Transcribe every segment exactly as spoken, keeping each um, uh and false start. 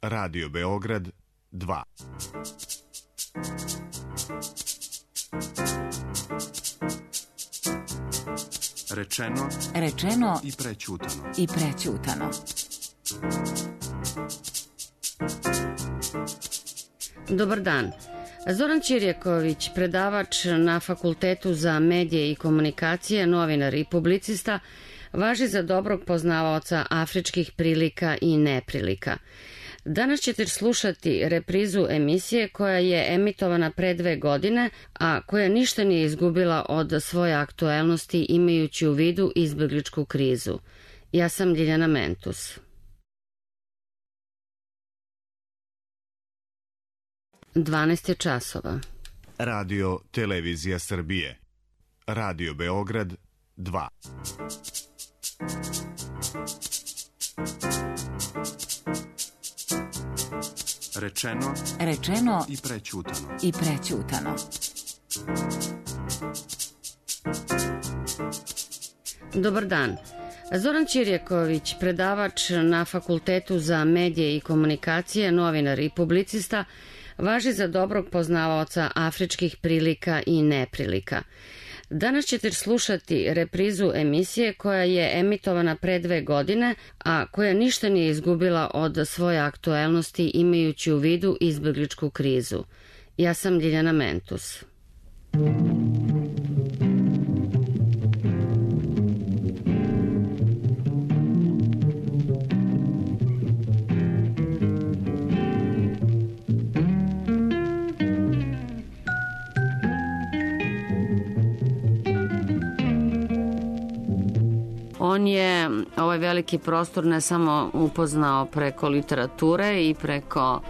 Radio Beograd dva. Rečeno, Rečeno i prećutano. I prećutano. Dobar dan. Zoran Ćirjaković, predavač na Fakultetu za medije i komunikacije, novinar i publicista, važi za dobrog poznavaoca afričkih prilika i neprilika. Danas ćete slušati reprizu emisije koja je emitovana pre dve godine, a koja ništa nije izgubila od svoje aktuelnosti imajući u vidu izbegličku krizu. Ja sam Ljiljana Mentus. dvanaest je časova. Radio Televizija Srbije. Radio Beograd dva. Rečeno, Rečeno i prećutano. I prećutano. Dobar dan. Zoran Ćirjaković, predavač na Fakultetu za medije i komunikacije, novinar i publicista, važi za dobrog poznavaoca afričkih prilika i neprilika. Danas ćete slušati reprizu emisije koja je emitovana pre dve godine, a koja ništa nije izgubila od svoje aktuelnosti imajući u vidu izbegličku krizu. Ja sam Ljiljana Mentus. On je ovaj veliki prostor ne samo upoznao preko literature i preko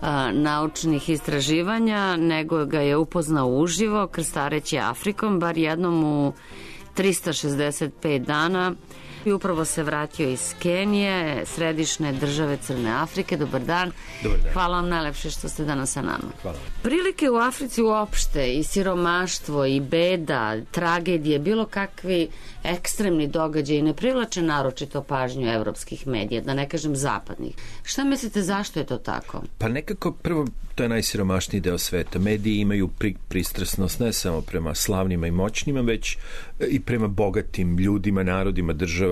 a, naučnih istraživanja, nego ga je upoznao uživo, krstareći Afrikom, bar jednom u trista šezdeset pet dana. I upravo se vratio iz Kenije, središnje države Crne Afrike. Dobar dan. Dobar dan. Hvala vam najlepše što ste danas sa nama. Hvala. Prilike u Africi uopšte, i siromaštvo, i beda, tragedije, bilo kakvi ekstremni događaji ne privlače naročito pažnju evropskih medija, da ne kažem zapadnih. Šta mislite, zašto je to tako? Pa nekako, prvo, to je najsiromašniji deo sveta. Mediji imaju pri, pristrasnost ne samo prema slavnima i moćnima, već i prema bogatim ljudima, narodima, državama.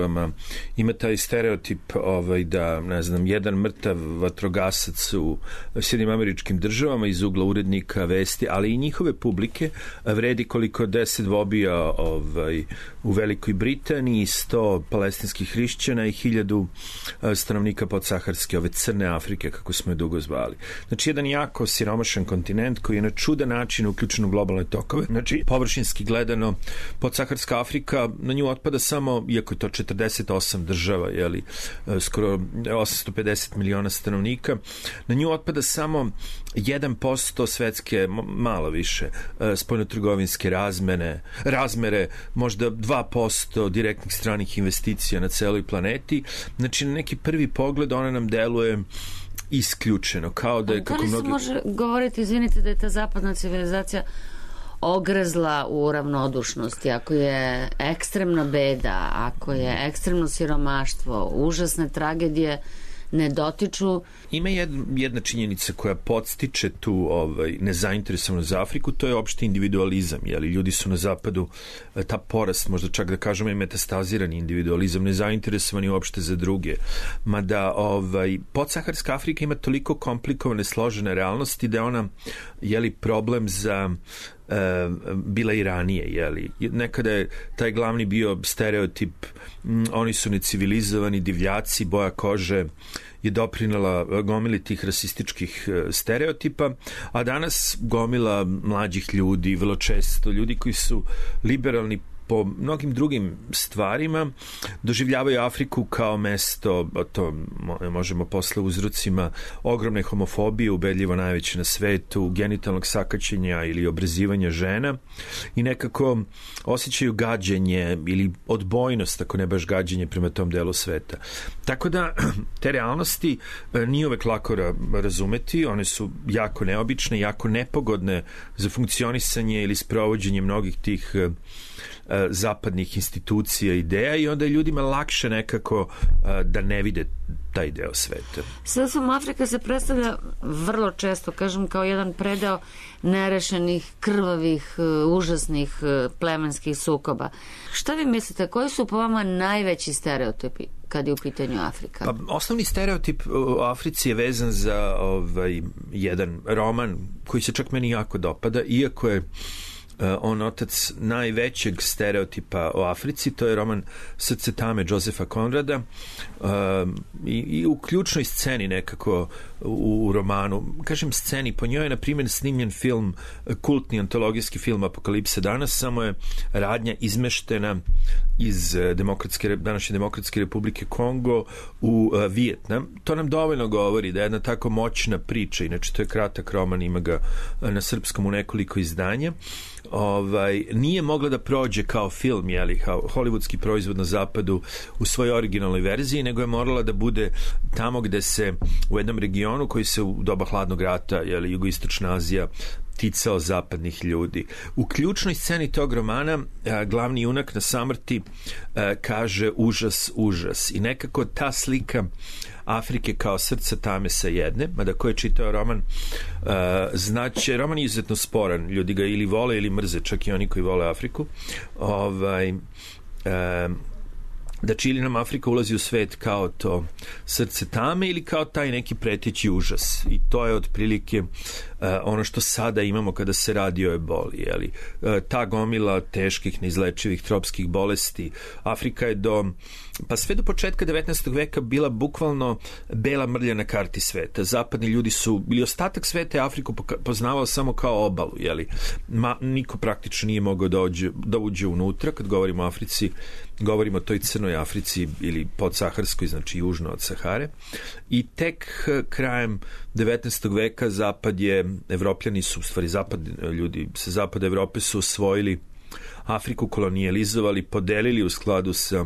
Ima taj stereotip ovaj, da, ne znam, jedan mrtav vatrogasac u Sjedinjenim Američkim Državama iz ugla urednika vesti, ali i njihove publike vredi koliko deset vobija ovaj, u Velikoj Britaniji, sto palestinskih hrišćana i hiljadu stanovnika podsaharske, ove Crne Afrike, kako smo je dugo zvali. Znači, jedan jako siromašan kontinent koji je na čudan način uključen u globalne tokove. Znači, površinski gledano, podsaharska Afrika, na nju otpada samo, iako je to četrdeset osam država, jeli, skoro osamsto pedeset miliona stanovnika, na nju otpada samo jedan posto svetske, malo više, spoljnotrgovinske razmene, razmere, možda dva posto direktnih stranih investicija na celoj planeti. Znači, na neki prvi pogled ona nam deluje isključeno, kao da je... Da li se mnogi... može govoriti, izvinite, da je ta zapadna civilizacija ogrezla u ravnodušnosti, ako je ekstremna beda, ako je ekstremno siromaštvo, užasne tragedije ne dotiču? Ima jedna, jedna činjenica koja podstiče tu ovaj, nezainteresovanost za Afriku, to je opšti individualizam. Jeli? Ljudi su na zapadu, ta porast, možda čak da kažemo i metastazirani individualizam, nezainteresovani uopšte za druge. Mada ovaj, podsaharska Afrika ima toliko komplikovane, složene realnosti da je ona jeli, problem za Uh, bila i ranije, jeli. Nekada je taj glavni bio stereotip, mm, oni su necivilizovani, divljaci, boja kože je doprinela gomili tih rasističkih uh, stereotipa, a danas gomila mlađih ljudi, vrlo često ljudi koji su liberalni po mnogim drugim stvarima, doživljavaju Afriku kao mesto, to možemo posle uzrocima ogromne homofobije, ubedljivo najveće na svetu, genitalnog sakaćenja ili obrazivanja žena, i nekako osjećaju gađenje ili odbojnost, ako ne baš gađenje, prema tom delu sveta. Tako da te realnosti nije uvek lako razumeti, one su jako neobične, jako nepogodne za funkcionisanje ili sprovođenje mnogih tih zapadnih institucija, ideja i onda je ljudima lakše nekako da ne vide taj deo sveta. Srpskom Afrika se predstavlja vrlo često, kažem, kao jedan predeo nerešenih, krvavih, užasnih plemenskih sukoba. Šta vi mislite, koji su po vama najveći stereotipi kad je u pitanju Afrika? Pa, osnovni stereotip u Africi je vezan za ovaj, jedan roman koji se čak meni jako dopada, iako je on otac najvećeg stereotipa o Africi, to je roman Srce tame Josefa Konrada i, i u ključnoj sceni nekako u, u romanu, kažem sceni, po njoj je na primjer snimljen film, kultni antologijski film Apokalipse danas, samo je radnja izmeštena iz demokratske, današnje Demokratske Republike Kongo u uh, Vijetnam. To nam dovoljno govori da je jedna tako moćna priča, inače to je kratak roman, ima ga na srpskom u nekoliko izdanja, ovaj, nije mogla da prođe kao film, jeli, kao hollywoodski proizvod na zapadu u svojoj originalnoj verziji, nego je morala da bude tamo gde se u jednom regionu koji se u doba hladnog rata, jeli, jugoistočna Azija, ticao zapadnih ljudi. U ključnoj sceni tog romana a, glavni junak na samrti a, kaže užas, užas. I nekako ta slika Afrike kao srca tame sa jedne, mada ko je čitao roman, uh, znači, roman je izuzetno sporan, ljudi ga ili vole ili mrze, čak i oni koji vole Afriku. Ovaj, uh, da ili nam Afrika ulazi u svet kao to srce tame ili kao taj neki preteći užas. I to je otprilike uh, ono što sada imamo kada se radi o eboli. Jeli? Uh, ta gomila teških, neizlečivih tropskih bolesti. Afrika je do, pa sve do početka devetnaestog veka bila bukvalno bela mrlja na karti sveta. Zapadni ljudi su, ili ostatak sveta je Afriku poznavao samo kao obalu. Jeli? Ma, niko praktično nije mogao da uđe, da uđe unutra. Kad govorimo o Africi, govorimo o toj crnoj Africi ili podsaharskoj, znači južno od Sahare. I tek krajem devetnaestog veka zapad je, Evropljani su, u stvari zapad, ljudi sa zapada Evrope su osvojili Afriku, kolonijalizovali, podelili u skladu sa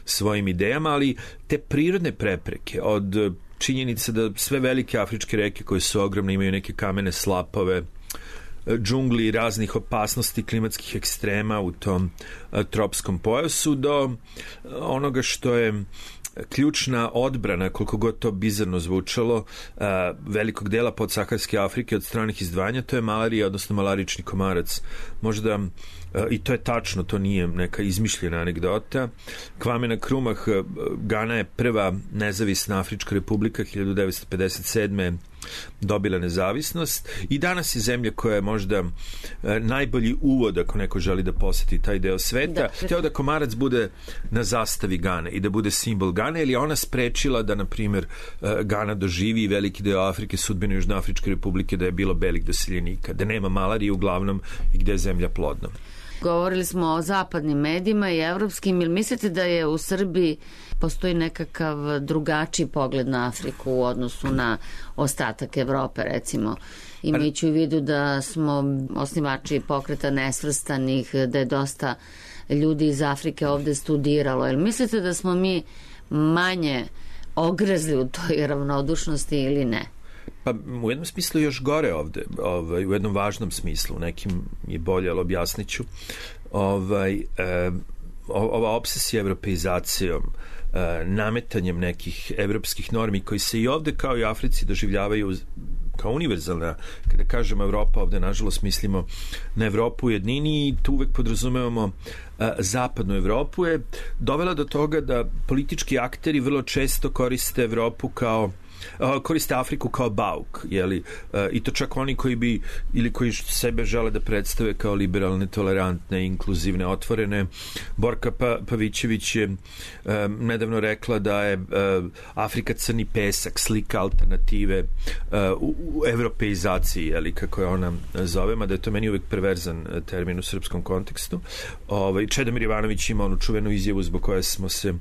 svojim idejama, ali te prirodne prepreke od činjenice da sve velike afričke reke koje su ogromne imaju neke kamene slapove, džungli, raznih opasnosti, klimatskih ekstrema u tom uh, tropskom pojasu, do onoga što je ključna odbrana, koliko god to bizarno zvučalo, uh, velikog dela podsaharske Afrike od stranih izdvajanja, to je malarija, odnosno malarični komarac. Možda, uh, i to je tačno, to nije neka izmišljena anegdota. Kwame Nkrumah, uh, Gana je prva nezavisna Afrička republika, hiljadu devetsto pedeset sedme dobila nezavisnost i danas je zemlja koja je možda uh, najbolji uvod ako neko želi da poseti taj deo sveta. Da, hteo da komarac bude na zastavi Gane i da bude simbol Gane, ili ona sprečila da, na primjer, uh, Gana doživi veliki deo Afrike, sudbine Južnoafričke republike, da je bilo belih doseljenika, da nema malarije uglavnom i gde je zemlja plodna. Govorili smo o zapadnim medijima i evropskim, ili mislite da je u Srbiji postoji nekakav drugačiji pogled na Afriku u odnosu na ostatak Evrope, recimo, imajući u vidu da smo osnivači pokreta nesvrstanih, da je dosta ljudi iz Afrike ovde studiralo. Jel mislite da smo mi manje ogrezli u toj ravnodušnosti ili ne? Pa u jednom smislu još gore ovde, ovaj, u jednom važnom smislu, u nekim je bolje, ali objasnit ću. Ovaj, eh, ova obsesija evropeizacijom, eh, nametanjem nekih evropskih normi koji se i ovde kao i u Africi doživljavaju kao univerzalna. Kada kažemo Evropa, ovde nažalost mislimo na Evropu u jednini i tu uvek podrazumevamo uh, zapadnu Evropu, je dovela do toga da politički akteri vrlo često koriste Evropu kao Uh, koriste Afriku kao bauk, jeli? Uh, i to čak oni koji bi ili koji sebe žele da predstave kao liberalne, tolerantne, inkluzivne, otvorene. Borka pa, Pavićević je uh, nedavno rekla da je uh, Afrika crni pesak, slika alternative uh, u, u evropeizaciji, jeli, kako je ona zove, mada je to meni uvek perverzan termin u srpskom kontekstu. Ovaj, Čedomir Jovanović ima onu čuvenu izjavu zbog koje smo se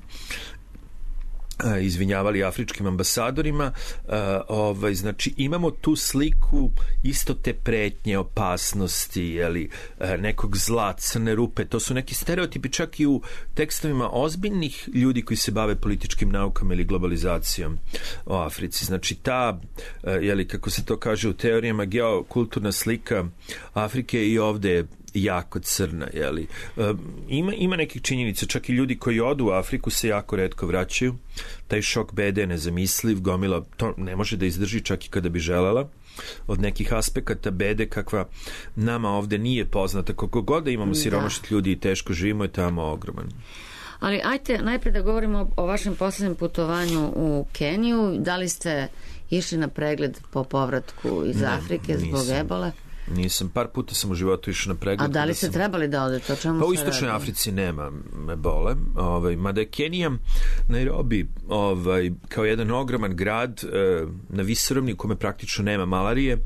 izvinjavali afričkim ambasadorima. Uh, ovaj, znači imamo tu sliku isto te pretnje, opasnosti, jeli, uh, nekog zla, crne rupe, to su neki stereotipi čak i u tekstovima ozbiljnih ljudi koji se bave političkim naukama ili globalizacijom o Africi. Znači ta, uh, jeli, kako se to kaže u teorijama, geokulturna slika Afrike i ovde je jako crna, jeli. E, ima, ima nekih činjenica, čak i ljudi koji odu u Afriku se jako retko vraćaju. Taj šok bede je nezamisliv, gomila to ne može da izdrži čak i kada bi želela. Od nekih aspekata bede kakva nama ovde nije poznata, koliko god da imamo siromašnih ljudi i teško živimo, je tamo ogroman. Ali ajte najpre da govorimo o vašem poslednjem putovanju u Keniju. Da li ste išli na pregled po povratku iz ne, Afrike zbog nisam. ebole? Nisam, par puta sam u životu išao na pregled. A da li ste sam... trebali da odete? O čemu pa u istočnoj Africi nema ebole, ovaj, mada je Kenija, Nairobi, ovaj, kao jedan ogroman grad eh, na visoravni u kome praktično nema malarije,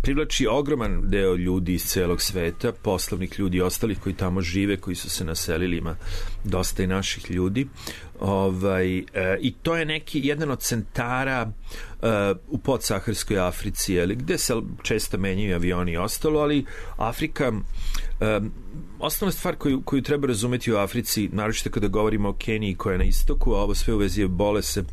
privlači ogroman deo ljudi iz celog sveta, poslovnih ljudi i ostalih koji tamo žive, koji su se naselili, ima dosta i naših ljudi. Ovaj, e, i to je neki jedan od centara e, u podsaharskoj Africi, jeli, gde se često menjaju avioni i ostalo, ali Afrika, e, osnovna stvar koju, koju treba razumeti u Africi, naročito kada govorimo o Keniji koja je na istoku, a ovo sve u vezi ebole se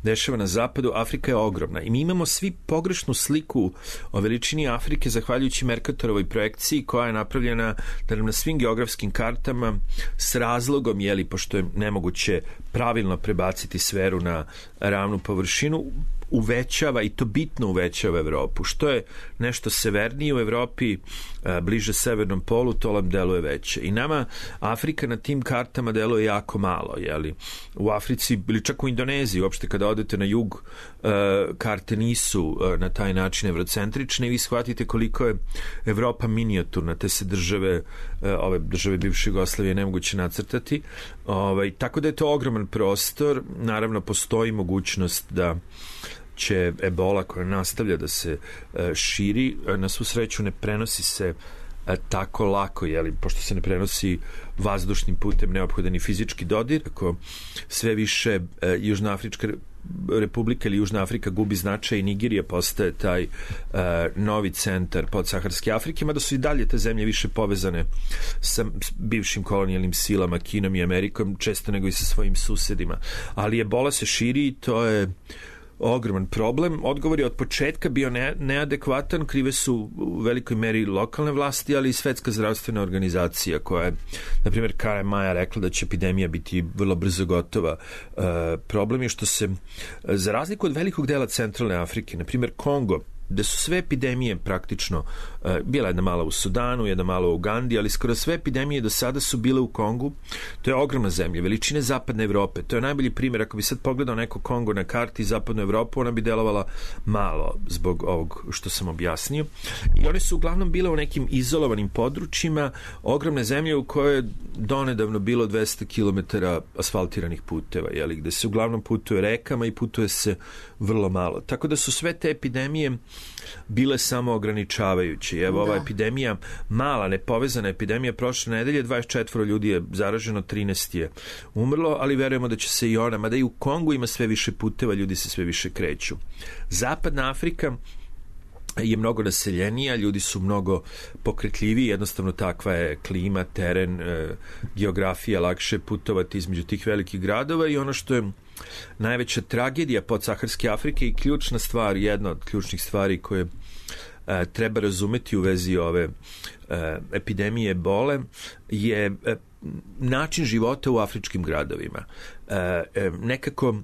dešava na zapadu, Afrika je ogromna i mi imamo svi pogrešnu sliku o veličini Afrike zahvaljujući Mercatorovoj projekciji koja je napravljena da nam na svim geografskim kartama s razlogom, jeli, pošto je nemoguće pravilno prebaciti sferu na ravnu površinu, uvećava i to bitno uvećava Evropu. Što je nešto severnije u Evropi, bliže severnom polu, to nam deluje veće. I nama Afrika na tim kartama deluje jako malo, jeli? U Africi, ili čak u Indoneziji, uopšte kada odete na jug, karte nisu na taj način evrocentrične i vi shvatite koliko je Evropa minijaturna, te se države, ove države bivše Jugoslavije nemoguće nacrtati. Ovaj, tako da je to ogroman prostor. Naravno, postoji mogućnost da će ebola koja nastavlja da se e, širi, na svu sreću ne prenosi se e, tako lako, jeli, pošto se ne prenosi vazdušnim putem, neophodan i fizički dodir. Ako sve više e, Južnoafrička Republika ili Južna Afrika gubi značaj i Nigerija postaje taj e, novi centar podsaharske Afrike, mada su i dalje te zemlje više povezane sa bivšim kolonijalnim silama, Kinom i Amerikom, često nego i sa svojim susedima. Ali ebola se širi i to je ogroman problem. Odgovor je od početka bio ne, neadekvatan, krive su u velikoj meri lokalne vlasti, ali i Svetska zdravstvena organizacija koja je, na primjer, kraja maja rekla da će epidemija biti vrlo brzo gotova. E, problem je što se, za razliku od velikog dela centralne Afrike, na primjer Kongo, gde su sve epidemije praktično, uh, bila jedna mala u Sudanu, jedna mala u Ugandi, ali skoro sve epidemije do sada su bile u Kongu. To je ogromna zemlja, veličine zapadne Evrope. To je najbolji primjer. Ako bi sad pogledao neko Kongo na karti zapadnu Evropu, ona bi delovala malo zbog ovog što sam objasnio. I one su uglavnom bile u nekim izolovanim područjima, ogromne zemlje u kojoj je donedavno bilo dvesta kilometara asfaltiranih puteva, jeli, gde se uglavnom putuje rekama i putuje se vrlo malo. Tako da su sve te epidemije bile samo ograničavajuće. Evo, ova epidemija, mala, nepovezana epidemija prošle nedelje, dvadeset četvoro ljudi je zaraženo, trinaest je umrlo, ali verujemo da će se i ona, mada i u Kongu ima sve više puteva, ljudi se sve više kreću. Zapadna Afrika je mnogo naseljenija, ljudi su mnogo pokretljiviji, jednostavno takva je klima, teren, e, geografija, lakše putovati između tih velikih gradova i ono što je najveća tragedija podsaharske Afrike i ključna stvar, jedna od ključnih stvari koje e, treba razumeti u vezi ove e, epidemije ebole je e, način života u afričkim gradovima. E, e, nekako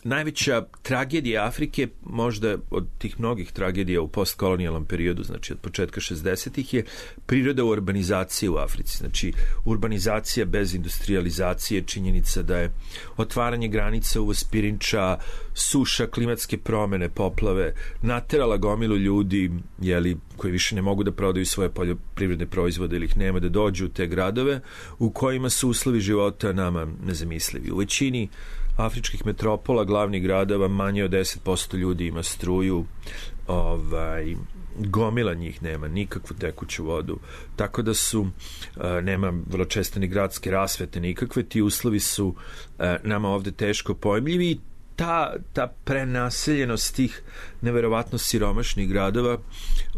najveća tragedija Afrike, možda od tih mnogih tragedija u postkolonijalnom periodu, znači od početka šezdesetih, je priroda urbanizacije u Africi. Znači, urbanizacija bez industrializacije, činjenica da je otvaranje granica, uvoz pirinča, suša, klimatske promene, poplave, naterala gomilu ljudi, jeli, koji više ne mogu da prodaju svoje poljoprivredne proizvode ili ih nema, da dođu u te gradove u kojima su uslovi života nama nezamislivi. U većini afričkih metropola, glavnih gradova, manje od deset posto ljudi ima struju, ovaj, gomila njih nema nikakvu tekuću vodu, tako da su, nema vrlo često ni gradske rasvete nikakve, ti uslovi su nama ovde teško pojmljivi i ta, ta prenaseljenost tih neverovatno siromašnih gradova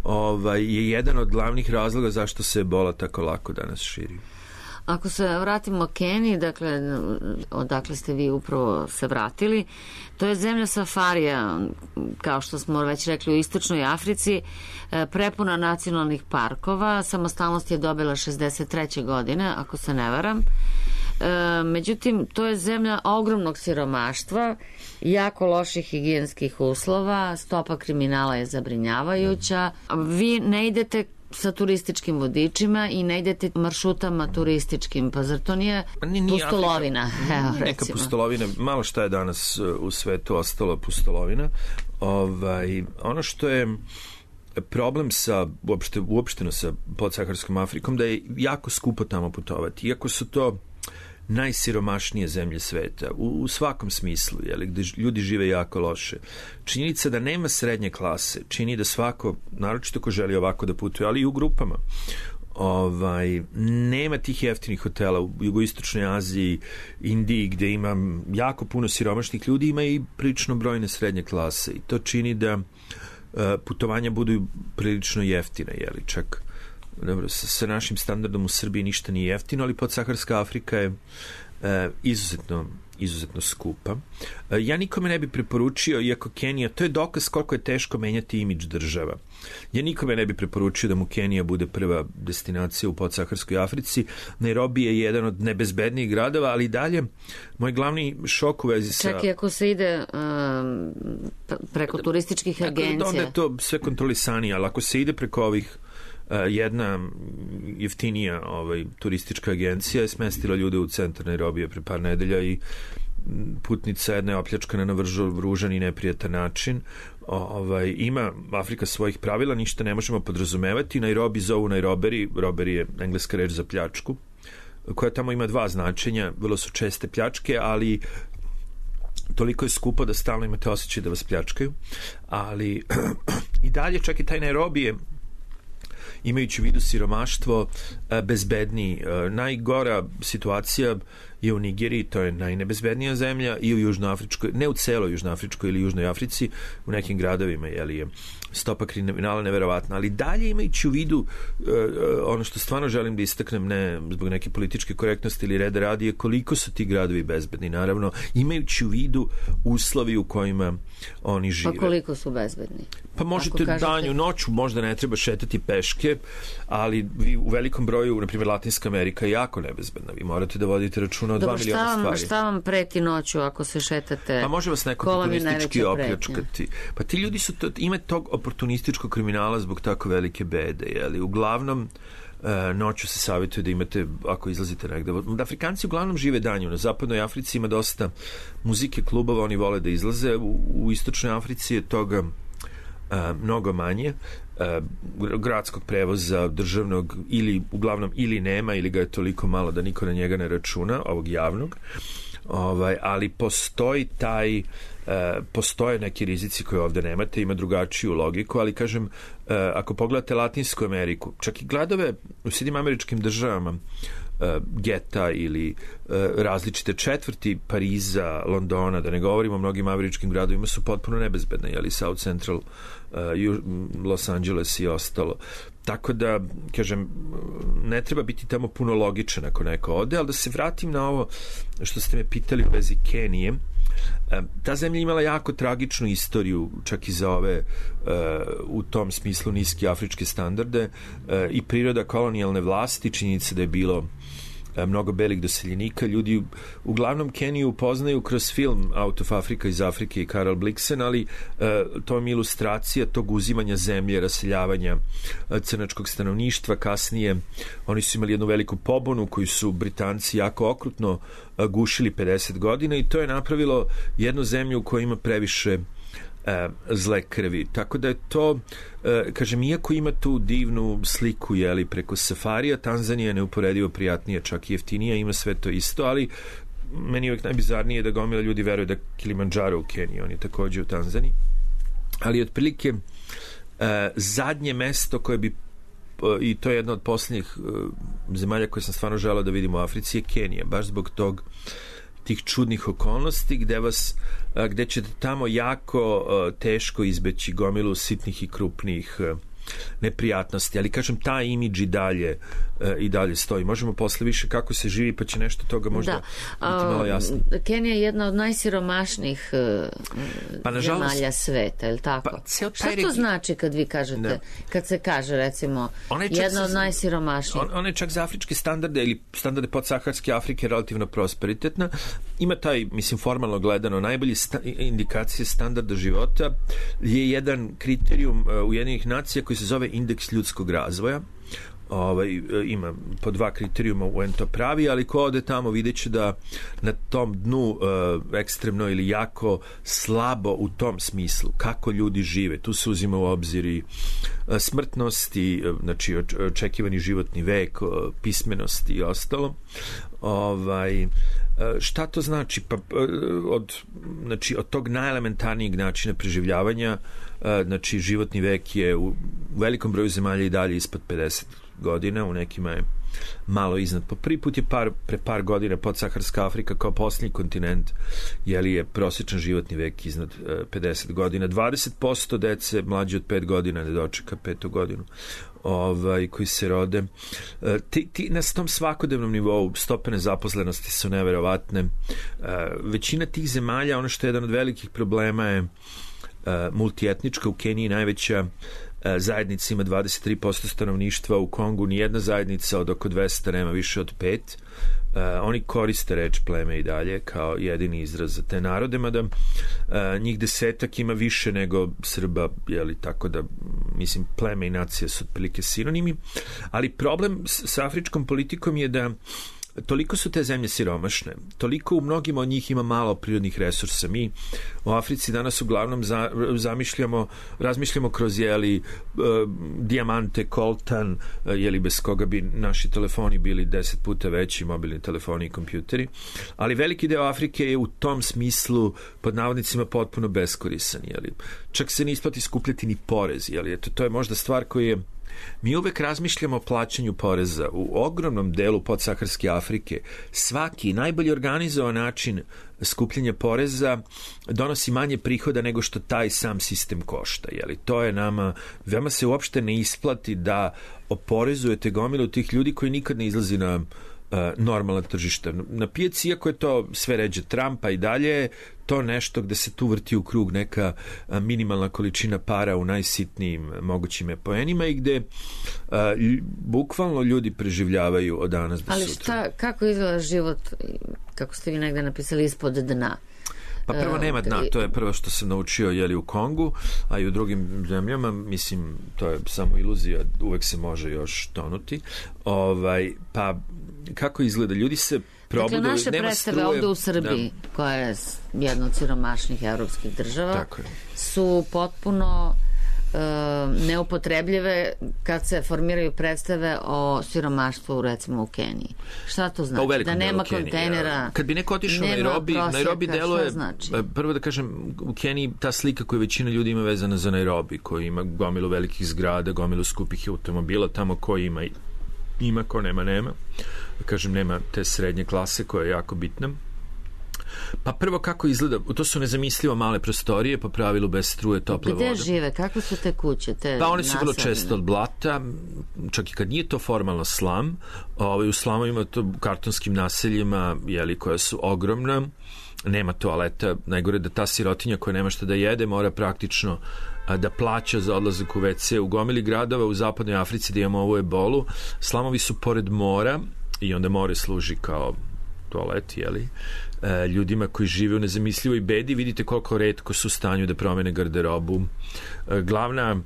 ovaj, je jedan od glavnih razloga zašto se ebola tako lako danas širi. Ako se vratimo Keniji, dakle, odakle ste vi upravo se vratili, to je zemlja safarija, kao što smo već rekli, u istočnoj Africi, prepuna nacionalnih parkova. Samostalnost je dobila šezdeset treće godine, ako se ne varam. Međutim, to je zemlja ogromnog siromaštva, jako loših higijenskih uslova, stopa kriminala je zabrinjavajuća. Vi ne idete sa turističkim vodičima i ne idete maršrutama turističkim, pa zar to nije, nije pustolovina? Evo, neka pustolovina, malo šta je danas u svetu ostalo pustolovina. Ovaj, ono što je problem sa uopšte, uopšteno sa podsaharskom Afrikom, da je jako skupo tamo putovati. Iako su to najsiromašnije zemlje sveta, u, u svakom smislu, jeli, gde ljudi žive jako loše. Činjenica da nema srednje klase čini da svako, naročito ko želi ovako da putuje, ali i u grupama, ovaj, nema tih jeftinih hotela u jugoistočnoj Aziji, Indiji, gde ima jako puno siromašnih ljudi, ima i prilično brojne srednje klase i to čini da uh, putovanja budu prilično jeftina, jeli, čak dobro, sa, sa našim standardom u Srbiji ništa nije jeftino, ali podsaharska Afrika je e, izuzetno, izuzetno skupa. E, ja nikome ne bi preporučio, iako Kenija, to je dokaz koliko je teško menjati imidž država. Ja nikome ne bi preporučio da mu Kenija bude prva destinacija u podsaharskoj Africi. Nairobi je jedan od nebezbednijih gradova, ali dalje moj glavni šok u vezi sa... Čak i ako se ide um, preko turističkih agencija. Onda je to sve kontrolisanije, ali ako se ide preko ovih jedna jeftinija ovaj, turistička agencija je smestila ljude u centar Nairobije pre par nedelja i putnica jedna je opljačkana na vrlo ružan i neprijatan način. Ovaj, ima Afrika svojih pravila, ništa ne možemo podrazumevati. Nairobi zovu Nairoberi, roberi je engleska reč za pljačku, koja tamo ima dva značenja, vrlo su česte pljačke, ali toliko je skupo da stalno imate osjećaj da vas pljačkaju, ali i dalje čak i taj Nairobi je, imajući u vidu siromaštvo, bezbedniji. Najgora situacija je u Nigeriji, to je najnebezbednija zemlja, i u Južnoafričkoj, ne u celoj Južnoafričkoj ili Južnoj Africi, u nekim gradovima, jeli, je stopa kriminala neverovatna, ali dalje imajući u vidu ono što stvarno želim da istaknem, ne zbog neke političke korektnosti ili reda radi, je koliko su ti gradovi bezbedni, naravno, imajući u vidu uslovi u kojima oni žive. Pa koliko su bezbedni? Pa možete kažete... danju, noću, možda ne treba šetati peške, ali vi u velikom broju, na primjer Latinska Amerika je jako nebezbedna. Vi morate da vodite računa o dva miliona stvari. Dobro, šta vam preti noću ako se šetate? Pa može vas neko turistički opljačkati. Pa ti ljudi su, to, ima tog oportunističkog kriminala zbog tako velike bede, jeli? Uglavnom, e, noću se savjetuje da imate, ako izlazite negde. Da Afrikanci uglavnom žive danju. Na zapadnoj Africi ima dosta muzike, klubova, oni vole da izlaze. U, u istočnoj Africi je toga a, mnogo manje. A, gradskog prevoza državnog ili uglavnom ili nema ili ga je toliko malo da niko na njega ne računa, ovog javnog. Ovaj, ali postoji taj Uh, postoje neki rizici koje ovde nemate, ima drugačiju logiku, ali kažem, uh, ako pogledate Latinsku Ameriku, čak i gradove u Sjedinjenim Američkim Državama, uh, geta ili uh, različite četvrti Pariza, Londona, da ne govorimo o mnogim američkim gradovima, su potpuno nebezbedne, jeli South Central, uh, Los Angeles i ostalo. Tako da, kažem, ne treba biti tamo puno logičan ako neko ode, ali da se vratim na ovo što ste me pitali u vezi Kenije. Ta zemlja imala jako tragičnu istoriju, čak i za ove u tom smislu niski afričke standarde, i priroda kolonijalne vlasti, činjenica da je bilo mnogo belih doseljenika. Ljudi uglavnom Keniju upoznaju kroz film Out of Africa iz Afrike i Karel Blixen, ali uh, to je ilustracija tog uzimanja zemlje, raseljavanja uh, crnačkog stanovništva. Kasnije oni su imali jednu veliku pobunu koju su Britanci jako okrutno uh, gušili pedeset godina i to je napravilo jednu zemlju u kojoj ima previše zle krvi. Tako da je to, kažem, iako ima tu divnu sliku, jeli, preko safarija, Tanzanija je neuporedivo prijatnija, čak i jeftinija, ima sve to isto, ali meni je uvijek najbizarnije da gomila ljudi veruje da Kilimandžaro u Keniji, on je također u Tanzaniji. Ali otprilike zadnje mesto koje bi, i to je jedna od posljednjih zemalja koje sam stvarno želeo da vidim u Africi, je Kenija, baš zbog tog tih čudnih okolnosti gde vas, gde ćete tamo jako teško izbeći gomilu sitnih i krupnih neprijatnosti, ali kažem, ta imidž i dalje, e, i dalje stoji. Možemo posle više kako se živi, pa će nešto toga možda da. biti malo jasno. Kenija je jedna od najsiromašnijih pa, nažalost, zemalja sveta, je li tako? Pa, šta to znači kad vi kažete, da. Kad se kaže, recimo, jedna od najsiromašnijih? On, on je čak za afričke standarde ili standarde podsaharske Afrike relativno prosperitetna. Ima taj, mislim, formalno gledano, najbolji sta, indikacije standarda života je jedan kriterijum uh, Ujedinjenih nacija koji se zove indeks ljudskog razvoja. Ovaj, ima po dva kriterijuma u en to pravi, ali ko ode tamo vidjet će da na tom dnu uh, ekstremno ili jako slabo u tom smislu kako ljudi žive. Tu se uzima u obzir i uh, smrtnost i uh, znači očekivani životni vek, uh, pismenost i ostalo. Ovaj, uh, šta to znači? Pa, uh, od, znači, od tog najelementarnijeg načina preživljavanja, uh, znači životni vek je u velikom broju zemalja i dalje ispod pedeset godina, u nekima je malo iznad. Po prvi put je par, pre par godina podsaharska Afrika kao posljednji kontinent, jeli je prosječan životni vek iznad uh, pedeset godina. dvadeset posto dece mlađe od pet godina ne dočeka petu godinu ovaj, koji se rode. Uh, ti, ti, na tom svakodnevnom nivou stope nezaposlenosti su neverovatne. Uh, većina tih zemalja, ono što je jedan od velikih problema je uh, multietnička. U Keniji najveća zajednica ima dvadeset tri posto stanovništva, u Kongu nijedna zajednica od oko dvesta nema više od pet. Uh, oni koriste reč pleme i dalje kao jedini izraz za te narode, mada uh, njih desetak ima više nego Srba, jeli, tako da mislim pleme i nacija su otprilike sinonimi, ali problem s, s afričkom politikom je da toliko su te zemlje siromašne, toliko u mnogima od njih ima malo prirodnih resursa. Mi u Africi danas uglavnom za, zamišljamo, razmišljamo kroz jeli e, dijamante, koltan, e, jeli bez koga bi naši telefoni bili deset puta veći, mobilni telefoni i kompjuteri, ali veliki deo Afrike je u tom smislu pod navodnicima potpuno beskorisan, jeli. Čak se ne isplati skupljati ni porez, jeli. Eto, to je možda stvar koja je mi uvek razmišljamo o plaćanju poreza. U ogromnom delu podsaharske Afrike svaki najbolji organizovan način skupljanja poreza donosi manje prihoda nego što taj sam sistem košta. Jeli? To je nama, veoma se uopšte ne isplati da oporezujete gomilu tih ljudi koji nikad ne izlazi na uh, normalna tržišta. Na pijaci, iako je to sve ređe Trumpa i dalje, to nešto gde se tu vrti u krug neka minimalna količina para u najsitnijim mogućim poenima i gde a, bukvalno ljudi preživljavaju od danas do ali sutra. Ali šta, kako izgleda život, kako ste vi negde napisali, ispod dna? Pa prvo nema dna, to je prvo što sam naučio jeli u Kongu, a i u drugim zemljama, mislim, to je samo iluzija, uvek se može još tonuti. Ovaj, pa kako izgleda? Ljudi se probudu, dakle, naše predstave ovde u Srbiji, da, koja je jedna od siromašnih evropskih država, su potpuno uh, neupotrebljive kad se formiraju predstave o siromaštvu, recimo u Keniji. Šta to znači? Pa da nema kontejnera, ja. Kad bi neko otišao u Nairobi, Nairobi deluje, znači? Prvo da kažem, u Keniji ta slika koju većina ljudi ima vezana za Nairobi, koji ima gomilu velikih zgrada, gomilu skupih automobila, tamo ko ima ima, ko nema, nema. Kažem, nema te srednje klase koja je jako bitna. Pa prvo kako izgleda, to su nezamislivo male prostorije, po pravilu bez struje, tople vode. Gde žive? Kako su te kuće? Te pa one su vrlo često od blata, čak i kad nije to formalno slam, ovaj, u slamovima, to u kartonskim naseljima, jeli, koja su ogromna, nema toaleta, najgore da ta sirotinja koja nema šta da jede mora praktično da plaća za odlazak u ve ce. U gomili gradova u zapadnoj Africi da imamo ovu ebolu, slamovi su pored mora i onda more služi kao toalet, jeli, e, ljudima koji žive u nezamislivoj bedi. Vidite koliko retko su u stanju da promene garderobu. E, glavna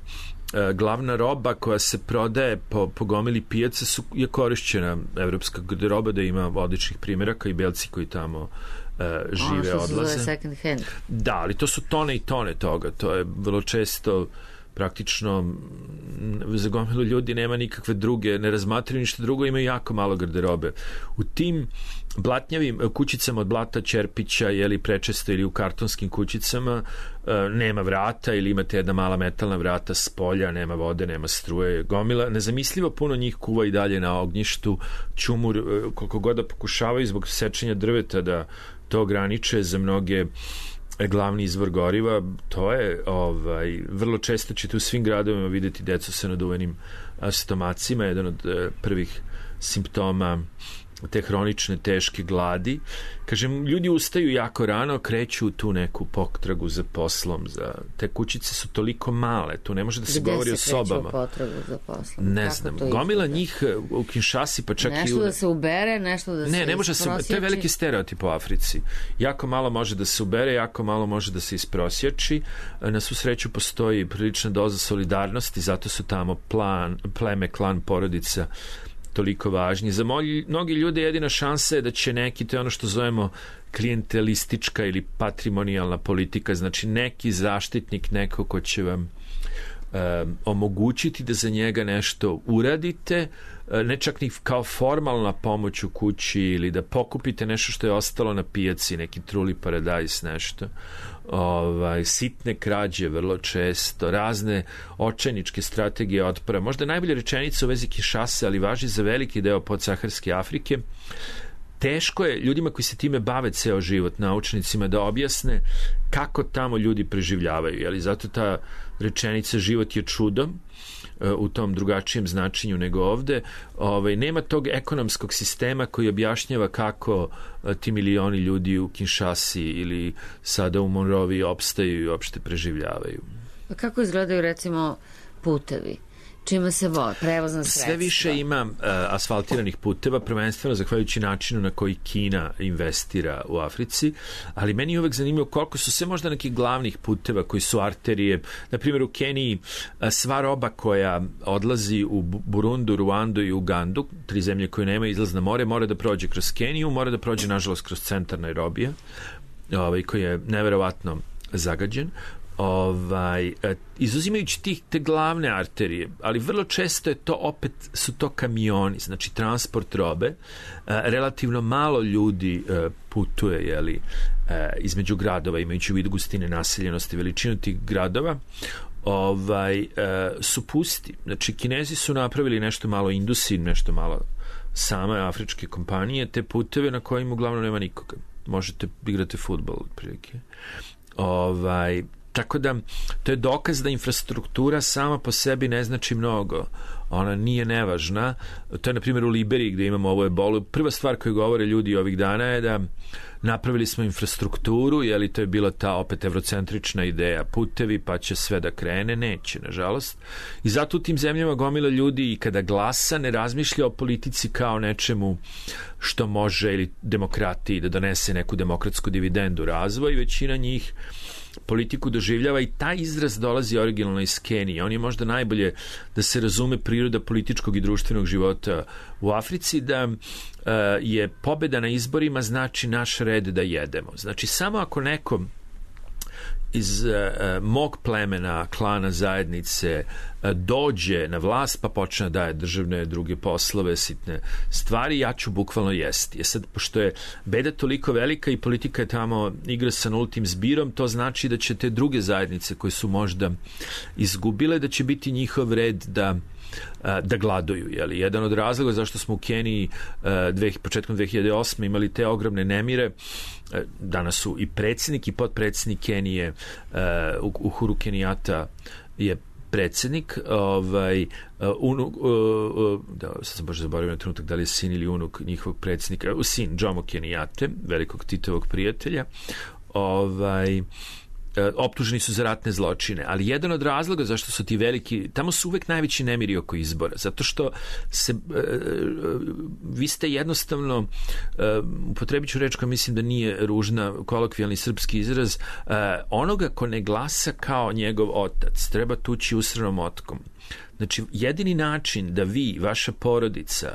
e, glavna roba koja se prodaje po, po gomili pijaca su, je korišćena evropska garderoba, da ima odličnih primjeraka i belci koji tamo Uh, žive, odlaze. Ono što se zove second hand. Da, ali to su tone i tone toga. To je vrlo često praktično za gomilu ljudi nema nikakve druge, ne razmatraju ništa drugo, imaju jako malo garderobe. U tim blatnjavim kućicama od blata, čerpića, jeli prečesto, ili u kartonskim kućicama nema vrata ili imate jedna mala metalna vrata s polja, nema vode, nema struje, gomila. Nezamislivo puno njih kuva i dalje na ognjištu, čumur, koliko god da pokušavaju zbog sečenja drveta da to ograniče, za mnoge glavni izvor goriva. To je ovaj, vrlo često ćete u svim gradovima vidjeti decu sa naduvenim stomacima, jedan od eh, prvih simptoma te hronične teške gladi. Kažem, ljudi ustaju jako rano, kreću tu neku potragu za poslom, za te kućice su toliko male, tu ne može da se Gde govori se o sobama. potragu za poslom? Ne Kako znam, to gomila izgleda? njih u Kinshasi, pa čak nešto i u... da se ubere, nešto da se Ne, ne može se, to je veliki stereotip u Africi. Jako malo može da se ubere, jako malo može da se isprosjači. Na svu sreću postoji prilična doza solidarnosti, zato su tamo plan, pleme, klan, porodica toliko važni. Za mnogi, mnogi ljude jedina šansa je da će neki, to je ono što zovemo klijentelistička ili patrimonijalna politika, znači neki zaštitnik, neko ko će vam um, omogućiti da za njega nešto uradite, ne čak ni kao formalna pomoć u kući ili da pokupite nešto što je ostalo na pijaci, neki truli paradajz, nešto. Ovaj, sitne krađe vrlo često, razne očajničke strategije otpora. Možda najbolja rečenica u vezi Kinshase, ali važi za veliki deo podsaharske Afrike. Teško je ljudima koji se time bave ceo život, naučnicima, da objasne kako tamo ljudi preživljavaju. Jeli? Zato ta rečenica život je čudo u tom drugačijem značenju nego ovde. Ovaj, nema tog ekonomskog sistema koji objašnjava kako ti milioni ljudi u Kinshasi ili sada u Monroviji opstaju i uopšte preživljavaju. A kako izgledaju recimo putevi? Čima se voze, prevozna sredstva? Sve više ima uh, asfaltiranih puteva, prvenstveno zahvaljujući načinu na koji Kina investira u Africi, ali meni je uvek zanimljivo koliko su sve možda nekih glavnih puteva koji su arterije. Na primjer, u Keniji uh, sva roba koja odlazi u Burundu, Ruandu i Ugandu, tri zemlje koje nemaju izlaz na more, mora da prođe kroz Keniju, mora da prođe, nažalost, kroz centar Nairobija, ovaj, koji je neverovatno zagađen. Ovaj, izuzimajući tih te glavne arterije, ali vrlo često je to opet su to kamioni, znači transport robe, relativno malo ljudi putuje, jeli, između gradova, imajući u vidu gustine naseljenosti, veličinu tih gradova, ovaj, su pusti. Znači, Kinezi su napravili nešto malo, Indusi, nešto malo same afričke kompanije, te puteve na kojima uglavnom nema nikoga. Možete igrati fudbal, otprilike. Ovaj, tako da to je dokaz da infrastruktura sama po sebi ne znači mnogo, ona nije nevažna. To je na primjer u Liberiji gde imamo ovo ebolu. Prva stvar koju govore ljudi ovih dana je da napravili smo infrastrukturu, je li to je bila ta opet evrocentrična ideja, putevi pa će sve da krene, neće nažalost, i zato u tim zemljama gomila ljudi i kada glasa ne razmišlja o politici kao nečemu što može, ili demokratiji, da donese neku demokratsku dividendu razvoj. Većina njih politiku doživljava, i taj izraz dolazi originalno iz Kenije. On je možda najbolje da se razume priroda političkog i društvenog života u Africi, da uh, je pobeda na izborima znači naš red da jedemo. Znači samo ako neko iz uh, mog plemena, klana, zajednice uh, dođe na vlast pa počne da daje državne druge poslove, sitne stvari, ja ću bukvalno jesti. Je sad, pošto je beda toliko velika i politika je tamo igra sa nultim zbirom, to znači da će te druge zajednice koje su možda izgubile, da će biti njihov red da da gladuju. Jeli? Jedan od razloga zašto smo u Keniji dve, početkom dve hiljade osme imali te ogromne nemire, danas su i predsjednik i potpredsjednik Kenije, Uhuru Kenijata je predsjednik, ovaj, unuk, da, sad sam baš zaboravio na trenutak da li je sin ili unuk njihovog predsjednika, sin Jomo Kenijate, velikog Titovog prijatelja, ovaj, optuženi su za ratne zločine, ali jedan od razloga zašto su ti veliki, tamo su uvek najveći nemiri oko izbora, zato što se, vi ste jednostavno, upotrebit ću reč koja mislim da nije ružna, kolokvijalni srpski izraz, onoga ko ne glasa kao njegov otac treba tući usranom motkom. Znači, jedini način da vi, vaša porodica,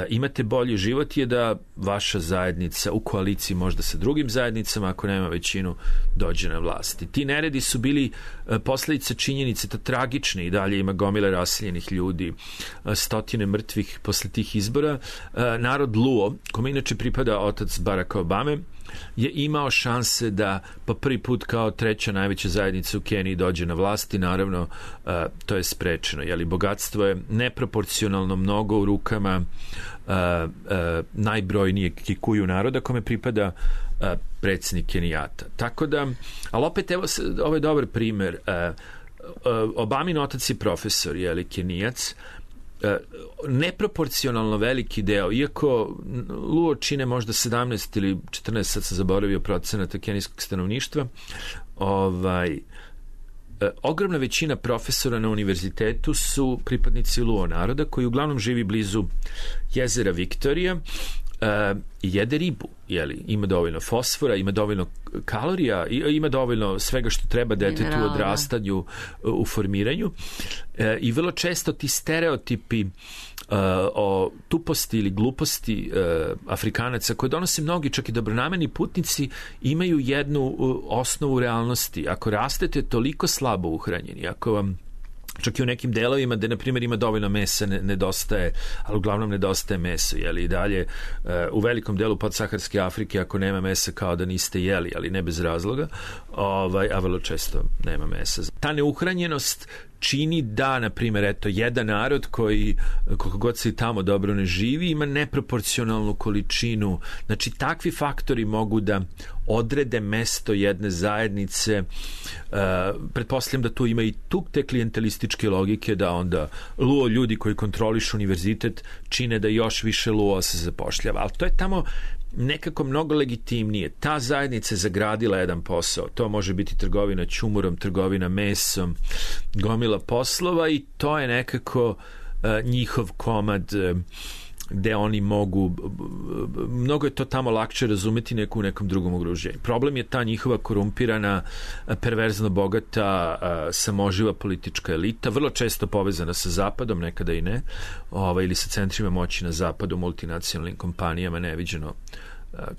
imate bolji život je da vaša zajednica u koaliciji možda sa drugim zajednicama, ako nema većinu, dođe na vlast. I ti neredi su bili posledice činjenice, to tragične, i dalje ima gomile raseljenih ljudi, stotine mrtvih posle tih izbora. Narod Luo, kome inače pripada otac Baracka Obame, je imao šanse da po prvi put kao treća najveća zajednica u Keniji dođe na vlast, i naravno uh, to je sprečeno. Jeli, bogatstvo je neproporcionalno mnogo u rukama uh, uh, najbrojnijeg Kikuju naroda, kome pripada uh, predsjednik Kenijata. Tako da, ali opet evo, ovo je dobar primer. Uh, uh, Obamin otac je profesor, je li Kenijac, uh, neproporcionalno veliki deo, iako Luo čine možda sedamnaest ili četrnaest, sad sam zaboravio procenata kenijskog stanovništva, ovaj, E, ogromna većina profesora na univerzitetu su pripadnici Luo naroda koji uglavnom živi blizu jezera Viktorija e, i jede ribu, jeli, ima dovoljno fosfora, ima dovoljno kalorija, ima dovoljno svega što treba detetu u odrastanju, u formiranju e, i vrlo često ti stereotipi Uh, o tuposti ili gluposti uh, Afrikanaca koje donose mnogi čak i dobronamerni putnici imaju jednu uh, osnovu realnosti. Ako rastete toliko slabo uhranjeni, ako vam čak i u nekim delovima gde, na primjer, ima dovoljno mesa, ne, nedostaje, ali uglavnom nedostaje meso, jeli, i dalje uh, u velikom delu podsaharske Afrike ako nema mesa kao da niste jeli, ali ne bez razloga, ovaj, a vrlo često nema mesa. Ta neuhranjenost čini da, na primjer, eto, jedan narod koji, koliko god se i tamo dobro ne živi, ima neproporcionalnu količinu. Znači, takvi faktori mogu da odrede mesto jedne zajednice. Uh, pretpostavljam da tu ima i tu te klijentelističke logike, da onda Luo ljudi koji kontrolišu univerzitet čine da još više Luo se zapošljava. Ali to je tamo nekako mnogo legitimnije. Ta zajednica je zagradila jedan posao. To može biti trgovina ćumurom, trgovina mesom, gomila poslova i to je nekako uh, njihov komad uh, gde oni mogu, uh, mnogo je to tamo lakše razumeti neku u nekom drugom okruženju. Problem je ta njihova korumpirana, uh, perverzno bogata, uh, samoživa politička elita, vrlo često povezana sa Zapadom, nekada i ne, ovaj, ili sa centrima moći na Zapadu, multinacionalnim kompanijama, neviđeno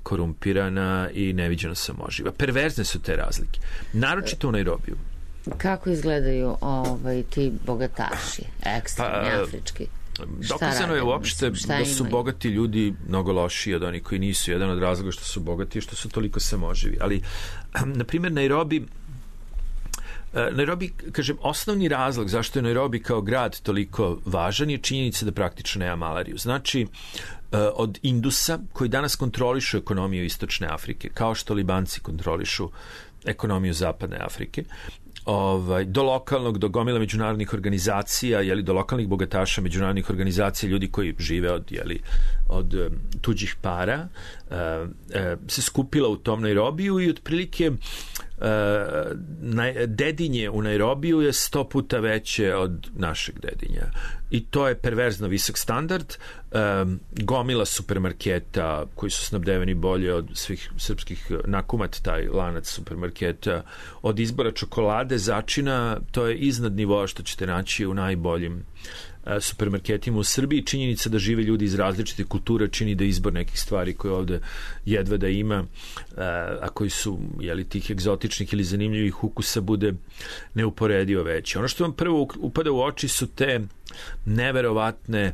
korumpirana i neviđeno samoživa. Perverzne su te razlike. Naročito u Nairobiju. Kako izgledaju ovaj, ti bogataši, ekstremni, pa, afrički? Dokazano je uopšte da su bogati ljudi mnogo lošiji od onih koji nisu. Jedan od razloga što su bogati je što su toliko samoživi. Ali, na primjer, Nairobi Nairobi, kažem, osnovni razlog zašto je Nairobi kao grad toliko važan je činjenica da praktično nema malariju. Znači, od Indusa, koji danas kontrolišu ekonomiju Istočne Afrike, kao što Libanci kontrolišu ekonomiju Zapadne Afrike, ovaj, do lokalnog, do gomila međunarodnih organizacija, jeli, do lokalnih bogataša međunarodnih organizacija, ljudi koji žive od, jeli, od um, tuđih para, uh, uh, se skupila u tom Nairobiju i otprilike Uh, na, dedinje u Nairobiju je sto puta veće od našeg dedinja i to je perverzno visok standard. Um, gomila supermarketa koji su snabdeveni bolje od svih srpskih, Nakumat, taj lanac supermarketa, od izbora čokolade, začina, to je iznad nivoa što ćete naći u najboljim supermarketima u Srbiji. Činjenica da žive ljudi iz različite kulture čini da izbor nekih stvari koje ovde jedva da ima, a koji su, jeli, tih egzotičnih ili zanimljivih ukusa bude neuporedivo veći. Ono što vam prvo upada u oči su te neverovatne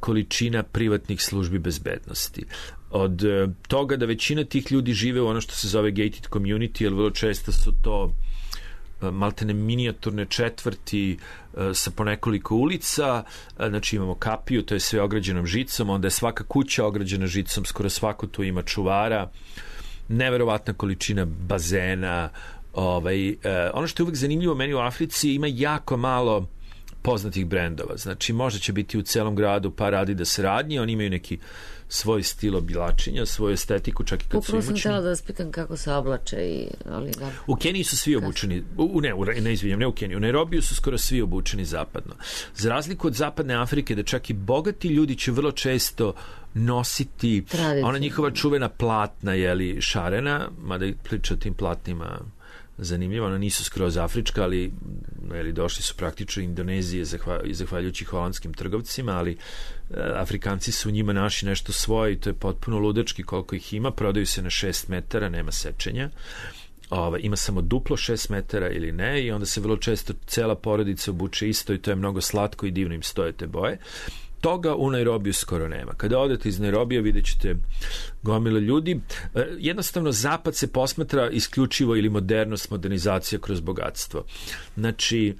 količina privatnih službi bezbednosti. Od toga da većina tih ljudi žive u ono što se zove gated community, jer vrlo često su to maltene minijaturne četvrti sa po nekoliko ulica, znači imamo kapiju, to je sve ograđenom žicom, onda je svaka kuća ograđena žicom, skoro svako tu ima čuvara, neverovatna količina bazena. Ovaj, ono što je uvek zanimljivo meni u Africi, ima jako malo poznatih brendova, znači možda će biti u celom gradu par Adidas radnje, oni imaju neki svoj stil oblačenja, svoju estetiku, čak i kad Upravo su imućni. Upravo sam htjela da vas pitam kako se oblače i... Ali da... U Keniji su svi obučeni, u, ne, u, ne izvinjam, ne u Keniji, u Nairobiju su skoro svi obučeni zapadno. Za razliku od Zapadne Afrike, da čak i bogati ljudi će vrlo često nositi ona njihova čuvena platna, jeli, šarena, mada priča o tim platnima zanimljivo, ona nisu skroz afrička, ali jeli, došli su praktično Indonezije zahvaljujući holandskim trgovcima, ali e, Afrikanci su u njima naši nešto svoje i to je potpuno ludački koliko ih ima, prodaju se na šest metara, nema sečenja. Ova, ima samo duplo šest metara ili ne i onda se vrlo često cela porodica obuče isto i to je mnogo slatko i divno im stoje te boje. Toga u Nairobiju skoro nema. Kada odete iz Nairobija vidjet ćete gomile ljudi. Jednostavno, zapad se posmatra isključivo ili modernost, modernizacija kroz bogatstvo. Znači,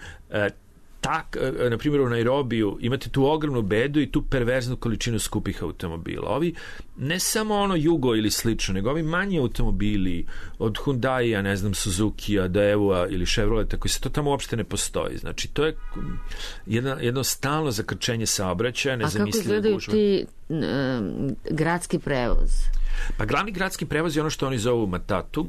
tak, na primjer u Nairobiju imate tu ogromnu bedu i tu perverznu količinu skupih automobila. Ovi ne samo ono Jugo ili slično, nego ovi manji automobili od Hyundai-a, ne znam, Suzuki-a, Daewoo-a ili Chevroleta, koji se to tamo uopšte ne postoji. Znači, to je jedno, jedno stalno zakrčenje saobraćaja, nezamislive gužve. A kako izgledaju ti um, gradski prevoz? Pa glavni gradski prevoz je ono što oni zovu matatu.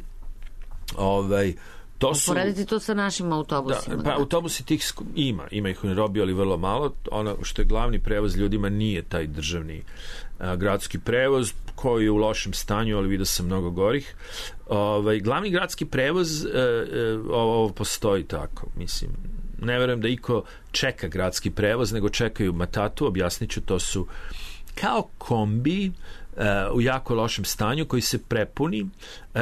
Ovaj, to su... Uporediti to sa našim autobusima. Da, pa da. Autobusi tih ima, ima ih u Nairobiju, ali vrlo malo. Ono što je glavni prevoz ljudima nije taj državni a, gradski prevoz, koji je u lošem stanju, ali vidio sam mnogo gorih. Ovaj, glavni gradski prevoz, e, e, ovo postoji tako, mislim. Ne verujem da iko čeka gradski prevoz, nego čekaju matatu, objasnit ću, to su kao kombi u jako lošem stanju koji se prepuni,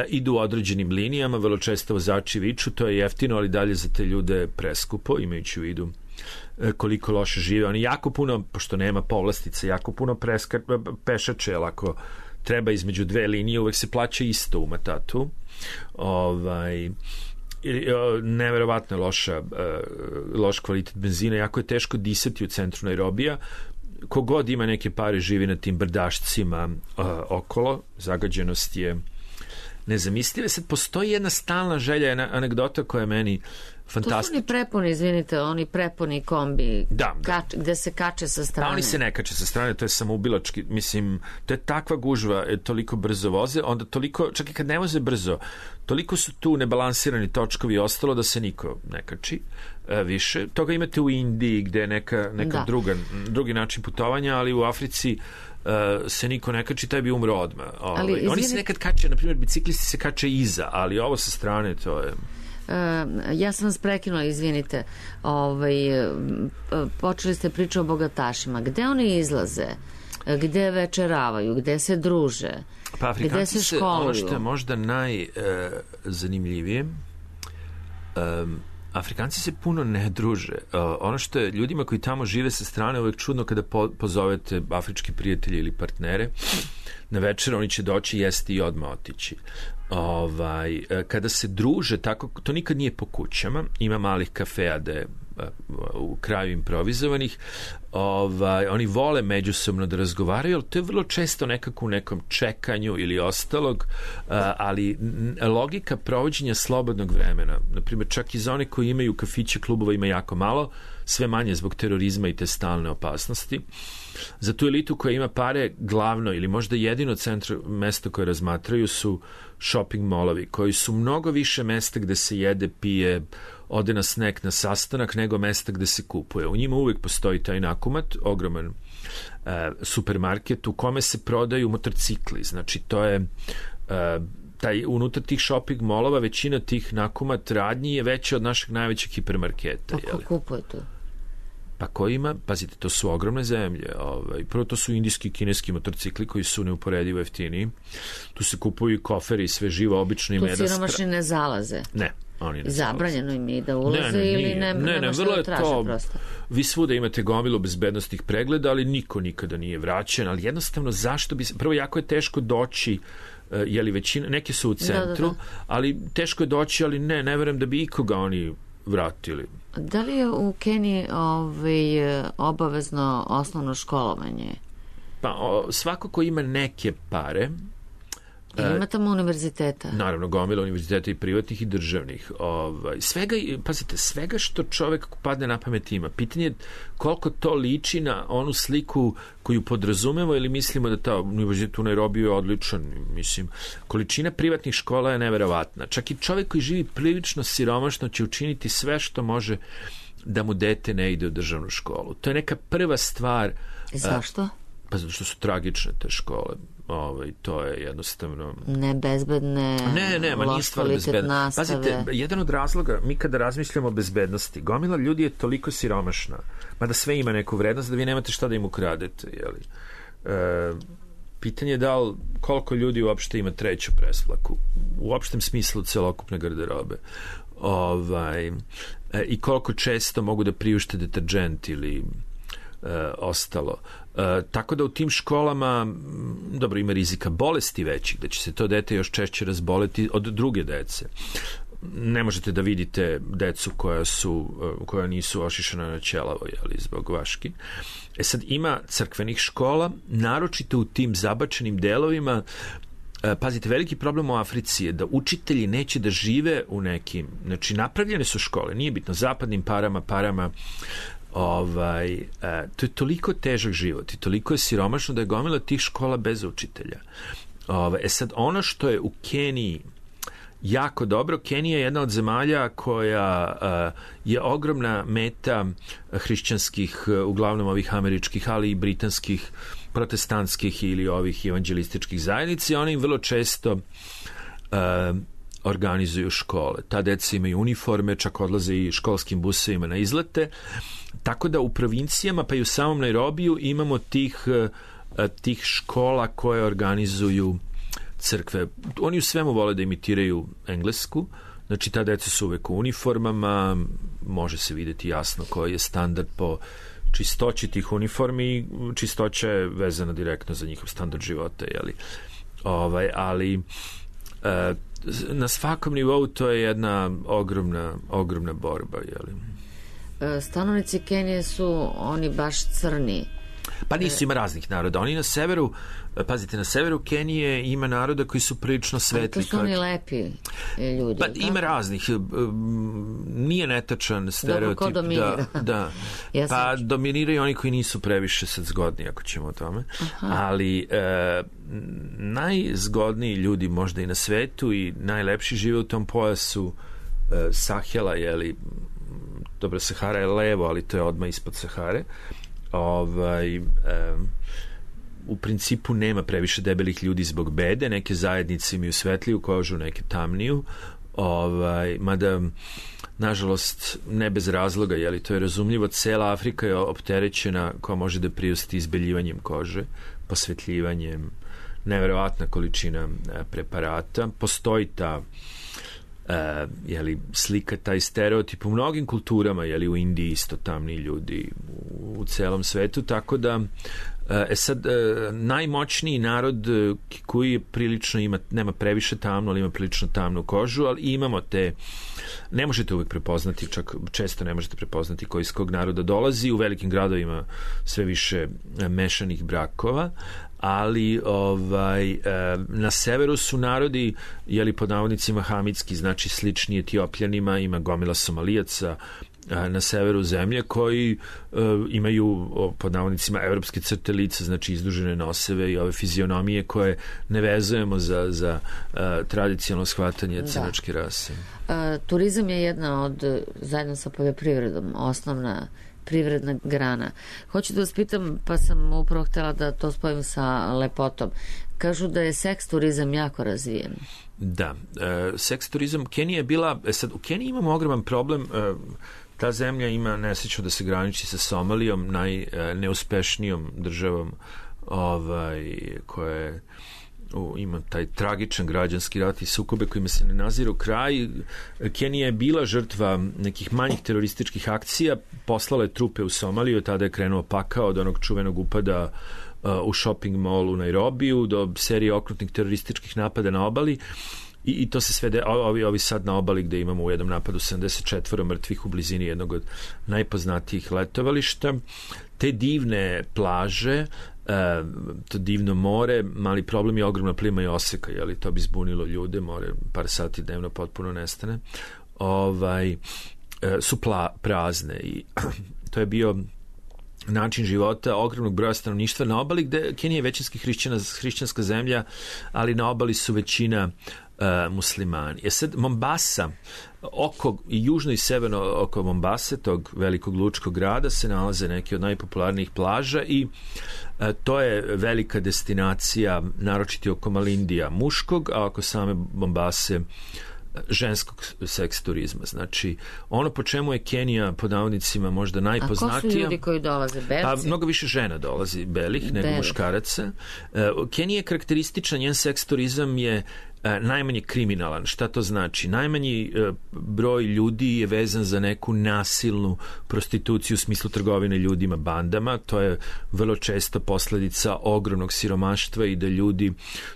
idu određenim linijama, vrlo često vozači viču, to je jeftino, ali dalje za te ljude preskupo, imajući u vidu koliko loše žive. Oni jako puno, pošto nema povlastice, jako puno preska, pešače, ali ako treba između dve linije, uvek se plaća isto u matatu. Ovaj... neverovatno loša, loš kvalitet benzina, jako je teško disati u centru Nairobija. Kogod ima neke pare živi na tim brdašcima uh, okolo, zagađenost je nezamisliva. Sad postoji jedna stalna želja, jedna anegdota koja je meni fantastična. To su oni prepuni, izvinite, oni prepuni kombi, da, kač, gde se kače sa strane. Da, oni se ne kače sa strane, to je samoubilački, mislim, to je takva gužva, je, toliko brzo voze, onda toliko, čak i kad ne voze brzo, toliko su tu nebalansirani točkovi i ostalo da se niko ne kači e, više. Toga imate u Indiji gde je neka, neka druga, drugi način putovanja, ali u Africi Uh, se niko ne kači, taj bi umro odmah. Ovaj. Ali, izvini... Oni se nekad kače, na primjer, biciklisti se kače iza, ali ovo sa strane, to je... Uh, ja sam vas prekinula, izvinite. Ovaj, uh, počeli ste priču o bogatašima. Gde oni izlaze? Gde večeravaju? Gde se druže? Pa Afrikanci se školuju? Ono što je možda najzanimljivije, uh, um, Afrikanci se puno ne druže. Uh, ono što je ljudima koji tamo žive sa strane uvek čudno kada po, pozovete afrički prijatelji ili partnere na večer, oni će doći, jesti i odmah otići. Ovaj, kada se druže tako, to nikad nije po kućama, ima malih kafeja da je u kraju improvizovanih, ovaj, oni vole međusobno da razgovaraju, ali to je vrlo često nekako u nekom čekanju ili ostalog, ali logika provođenja slobodnog vremena, na primjer čak i za one koji imaju kafiće, klubova ima jako malo, sve manje zbog terorizma i te stalne opasnosti. Za tu elitu koja ima pare, glavno ili možda jedino centro mesto koje razmatraju su shopping molovi, koji su mnogo više mesta gde se jede, pije, ode na snack, na sastanak, nego mesta gde se kupuje. U njima uvijek postoji taj nakumat, ogroman e, supermarket u kome se prodaju motorcikli. Znači, to je... E, taj, unutar tih shopping molova većina tih nakumat radnji je veća od našeg najvećeg hipermarketa. A ko kupuje to? Pa ko ima, pazite, to su ogromne zemlje. Ovaj, prvo to su indijski i kineski motorcikli koji su neuporedivo jeftiniji. Tu se kupuju i koferi i sve živo, obično ima jedan... Tu siromašni ne zalaze? Ne. Oni ne zabranjeno im je da ulaze ne, ne, ili ne, ne, ne, šta da traže to, prosto. Vi svuda imate gomilu bezbednostnih pregleda, ali niko nikada nije vraćen, ali jednostavno zašto bi... Prvo, jako je teško doći, uh, jeli većina, neke su u centru, da, da, da. Ali teško je doći, ali ne, ne verujem da bi ikoga oni vratili. Da li je u Keniji ovaj, obavezno osnovno školovanje? Pa o, svako ko ima neke pare... I ima tamo univerziteta? Naravno, gomila univerziteta i privatnih i državnih. Ovaj, svega, pazite, svega što čovek padne na pamet ima. Pitanje je koliko to liči na onu sliku koju podrazumemo ili mislimo da ta univerzitet u Nairobiju je odličan. Mislim, količina privatnih škola je neverovatna. Čak i čovek koji živi prilično siromašno će učiniti sve što može da mu dete ne ide u državnu školu. To je neka prva stvar. Zašto? Pa zato što su tragične te škole. Ovaj, to je jednostavno... Nebezbedne, ne, ne, ma nije stvar bezbedne. Pazite, jedan od razloga, mi kada razmišljamo o bezbednosti, gomila ljudi je toliko siromašna, mada sve ima neku vrednost, da vi nemate šta da im ukradete, jeli? E, pitanje je da li, koliko ljudi uopšte ima treću presplaku, u opštem smislu celokupne garderobe. Ovaj, e, i koliko često mogu da priušte deterđent ili e, ostalo. E, tako da u tim školama dobro, ima rizika bolesti većih, da će se to dete još češće razboleti od druge dece. ne možete da vidite decu koja su koja nisu ošišana na ćelavo, jeli, zbog vaški. E sad, ima crkvenih škola, naročito u tim zabačenim delovima. Pazite, veliki problem u Africi je da učitelji neće da žive u nekim, znači napravljene su škole, nije bitno, zapadnim parama, parama, ovaj, to je toliko težak život i toliko je siromašno da je gomila tih škola bez učitelja. Ovaj, e sad, ono što je u Keniji jako dobro, Kenija je jedna od zemalja koja uh, je ogromna meta hrišćanskih, uh, uglavnom ovih američkih, ali i britanskih, protestantskih ili ovih evanđelističkih zajednica. Oni im vrlo često uh, organizuju škole. Ta deca imaju uniforme, čak odlaze i školskim busevima na izlete. Tako da u provincijama, pa i u samom Nairobiju imamo tih, uh, tih škola koje organizuju crkve. Oni u svemu vole da imitiraju englesku, znači ta deca su uvek u uniformama, može se vidjeti jasno koji je standard po čistoći tih uniformi, čistoća je vezana direktno za njihov standard života, jeli? Ovaj, ali e, na svakom nivou to je jedna ogromna, ogromna borba, jeli? Stanovnici Kenije su oni baš crni. Pa nisu, ima raznih naroda. Oni na severu, pazite, na severu Kenije ima naroda koji su prilično svetli. To su oni lepi ljudi. Pa ima raznih. Nije netačan stereotip. Dobro, ko dominira? Da, da. Ja pa sam... dominiraju oni koji nisu previše sad zgodni, ako ćemo o tome. Aha. Ali e, najzgodniji ljudi možda i na svetu i najlepši žive u tom pojasu e, Sahela, jeli, dobro, Sahara je levo, ali to je odmah ispod Sahare. Ovaj, um, u principu nema previše debelih ljudi zbog bede, neke zajednice imaju svetliju kožu, neke tamniju, ovaj, mada nažalost ne bez razloga, jeli, to je razumljivo, cela Afrika je opterećena koja može da priusti izbeljivanjem kože, posvetljivanjem, neverovatna količina preparata, postoji ta Uh, jeli, slika, taj stereotip u mnogim kulturama, jeli, u Indiji isto tamni ljudi, u, u celom svetu, tako da uh, e sad, uh, najmoćniji narod uh, koji je prilično ima, nema previše tamno, ali ima prilično tamnu kožu, ali imamo te, ne možete uvek prepoznati, čak često ne možete prepoznati koji iz kog naroda dolazi, u velikim gradovima sve više uh, mešanih brakova, ali ovaj, na severu su narodi, jeli, pod navodnicima hamitski, znači slični Etiopljanima, ima gomila Somalijaca na severu zemlje koji uh, imaju pod navodnicima evropske crte lica, znači izdužene noseve i ove fizionomije koje ne vezujemo za, za uh, tradicionalno shvatanje crnačke rase. Uh, turizam je jedna od, zajedno sa poljoprivredom, osnovna privredna grana. Hoću da vas pitam, pa sam upravo htjela da to spojim sa lepotom. Kažu da je seks turizam jako razvijen. Da, e, seks turizam, Kenija je bila, e sad, u Keniji imamo ogroman problem, e, ta zemlja ima nesreću da se graniči sa Somalijom, najneuspešnijom državom ovaj, koja je U, ima taj tragičan građanski rat i sukobe kojima se ne naziru kraj. Kenija je bila žrtva nekih manjih terorističkih akcija, poslala je trupe u Somaliju, tada je krenuo pakao od onog čuvenog upada uh, u shopping mall u Nairobiju do serije okrutnih terorističkih napada na obali. I, i to se sve de, ovi, ovi sad na obali gde imamo u jednom napadu sedamdeset četiri mrtvih u blizini jednog od najpoznatijih letovališta. Te divne plaže, Uh, to divno more, mali problem je ogromna plima i oseka, jeli, to bi zbunilo ljude, more par sati dnevno potpuno nestane, ovaj, uh, su pla, prazne i to je bio način života ogromnog broja stanovništva na obali, gde Kenija je većinski hrišćana, hrišćanska zemlja, ali na obali su većina uh, muslimani. Je sad Mombasa, oko, i južno i severno oko Mombase, tog velikog lučkog grada, se nalaze neke od najpopularnijih plaža i uh, to je velika destinacija, naročito oko Malindija muškog, a oko same Mombase ženskog seks turizma. Znači, ono po čemu je Kenija pod navodnicima možda najpoznatija... A ko su ljudi koji dolaze? Belci? Pa mnogo više žena dolazi belih nego Belih. muškaraca. Uh, Kenija je karakterističan, njen seks turizam je najmanje kriminalan. Šta to znači? Najmanji broj ljudi je vezan za neku nasilnu prostituciju u smislu trgovine ljudima, bandama. To je vrlo često posledica ogromnog siromaštva i da ljudi,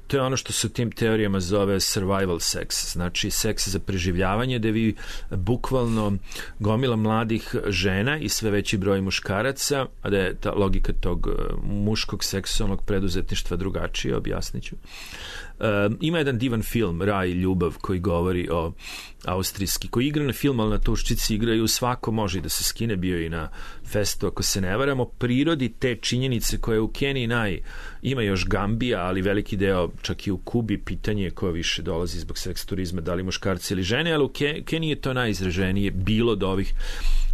to je ono što se u tim teorijama zove survival sex, znači seks za preživljavanje, da vi bukvalno gomila mladih žena i sve veći broj muškaraca, a da je ta logika tog muškog seksualnog preduzetništva drugačije, objasnit ću. Um, ima jedan divan film, Raj i ljubav, koji govori o austrijski, koji igra na film, ali na tuščici igraju, svako može da se skine, bio i na festu, ako se ne varamo, prirodi te činjenice koje u Keniji naj, ima još Gambija, ali veliki deo čak i u Kubi, pitanje ko više dolazi zbog seks turizma, da li muškarci ili žene, ali u Keniji je to najizraženije bilo do ovih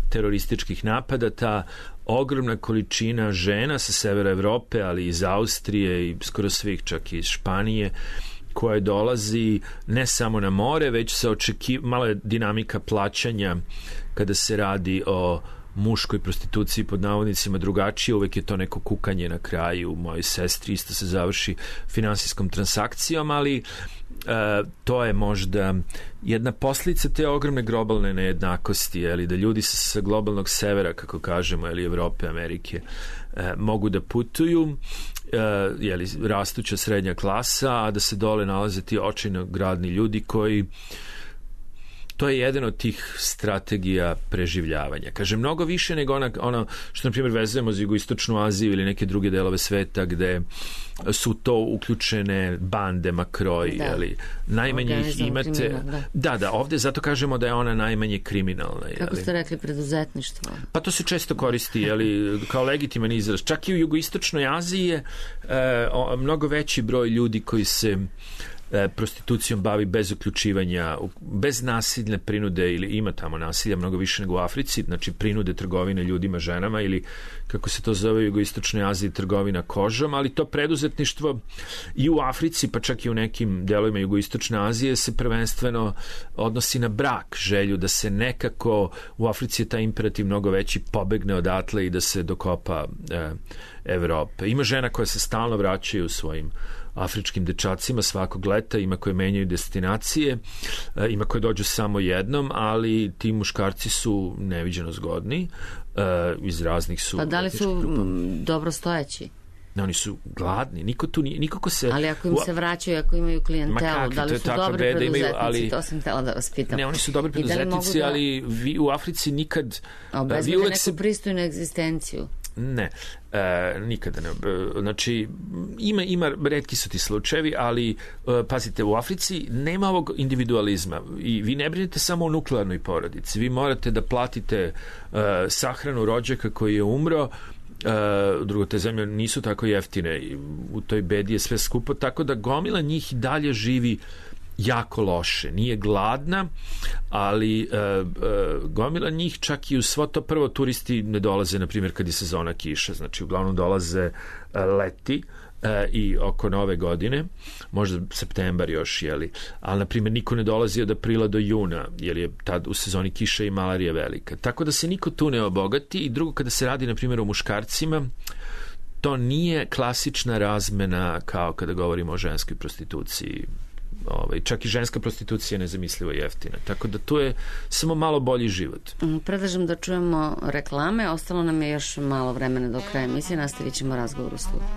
terorističkih napada, ta ogromna količina žena sa severa Evrope, ali iz Austrije i skoro svih, čak i iz Španije, koje dolazi ne samo na more, već se očekiva, malo je dinamika plaćanja kada se radi o muškoj prostituciji pod navodnicima drugačije, uvek je to neko kukanje na kraju, mojoj sestri isto se završi finansijskom transakcijom, ali Uh, to je možda jedna posljedica te ogromne globalne nejednakosti, jeli, da ljudi sa, sa globalnog severa, kako kažemo, ili Evrope, Amerike, uh, mogu da putuju, uh, jeli, rastuća srednja klasa, a da se dole nalaze ti očajno gradni ljudi koji, to je jedan od tih strategija preživljavanja. Kaže, mnogo više nego ona, ono što, na primjer, vezujemo za jugoistočnu Aziju ili neke druge delove sveta gde su to uključene bande, makroji, da. Ali najmanje ih imate. Da. da, da, ovde zato kažemo da je ona najmanje kriminalna. Kako ste rekli, preduzetništvo? Pa to se često koristi, jeli, kao legitiman izraz. Čak i u jugoistočnoj Aziji je e, o, mnogo veći broj ljudi koji se prostitucijom bavi bez uključivanja, bez nasilne prinude, ili ima tamo nasilja mnogo više nego u Africi, znači prinude trgovine ljudima, ženama, ili kako se to zove u jugoistočnoj Aziji, trgovina kožom, ali to preduzetništvo i u Africi, pa čak i u nekim delovima jugoistočne Azije se prvenstveno odnosi na brak, želju da se nekako, u Africi je taj imperativ mnogo veći, pobegne odatle i da se dokopa e, Evrope. Ima žena koja se stalno vraćaju u svojim afričkim dečacima svakog leta, ima koje menjaju destinacije, ima koje dođu samo jednom, ali ti muškarci su neviđeno zgodni, iz raznih su... Pa da li su dobro stojeći? Ne, oni su gladni, niko tu nije, niko ko se... Ali ako im se vraćaju, ako imaju klijentelu, da li su dobri preduzetnici, imaju, ali, to sam htjela da vas pitam. Ne, oni su dobri preduzetnici, da... ali vi u Africi nikad... Obezbede neku se... pristojnu egzistenciju. Ne, e, nikada ne. Znači, ima, ima, retki su ti slučajevi, ali e, pazite, u Africi nema ovog individualizma i vi ne brinete samo o nuklearnoj porodici. Vi morate da platite e, sahranu rođaka koji je umro. Uh, drugo, te zemlje nisu tako jeftine, u toj bedi je sve skupo, tako da gomila njih dalje živi jako loše, nije gladna, ali uh, uh, gomila njih čak i u svo to, prvo turisti ne dolaze, na primjer, kad je sezona kiša, znači uglavnom dolaze uh, leti uh, i oko nove godine, možda septembar još, jeli, ali na primjer niko ne dolazi od aprila do juna, jer je tad u sezoni kiša i malarija velika, tako da se niko tu ne obogati. I drugo, kada se radi na primjer o muškarcima, to nije klasična razmena kao kada govorimo o ženskoj prostituciji. Ovaj, čak i ženska prostitucija je nezamislivo jeftina. Tako da tu je samo malo bolji život. Predlažem da čujemo reklame. Ostalo nam je još malo vremena do kraja emisije. Nastavit ćemo razgovor u studiju.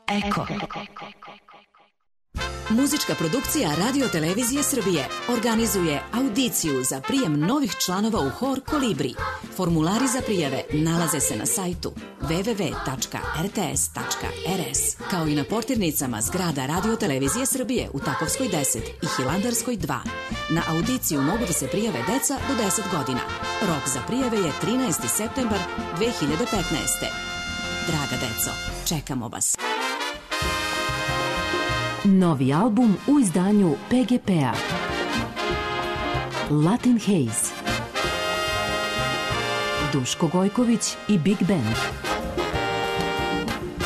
Eko. Muzička produkcija Radio Televizije Srbije organizuje audiciju za prijem novih članova u hor Kolibri. Formulari za prijave nalaze se na sajtu w w w tačka r t s tačka r s, kao i na portirnicama zgrada Radio Televizije Srbije u Takovskoj deset i Hilandarskoj dva. Na audiciju mogu da se prijave deca do deset godina. Rok za prijave je trinaesti septembar dve hiljade petnaeste. Draga deco, čekamo vas. Novi album u izdanju P G P-a. Latin Haze. Duško Gojković i Big Band.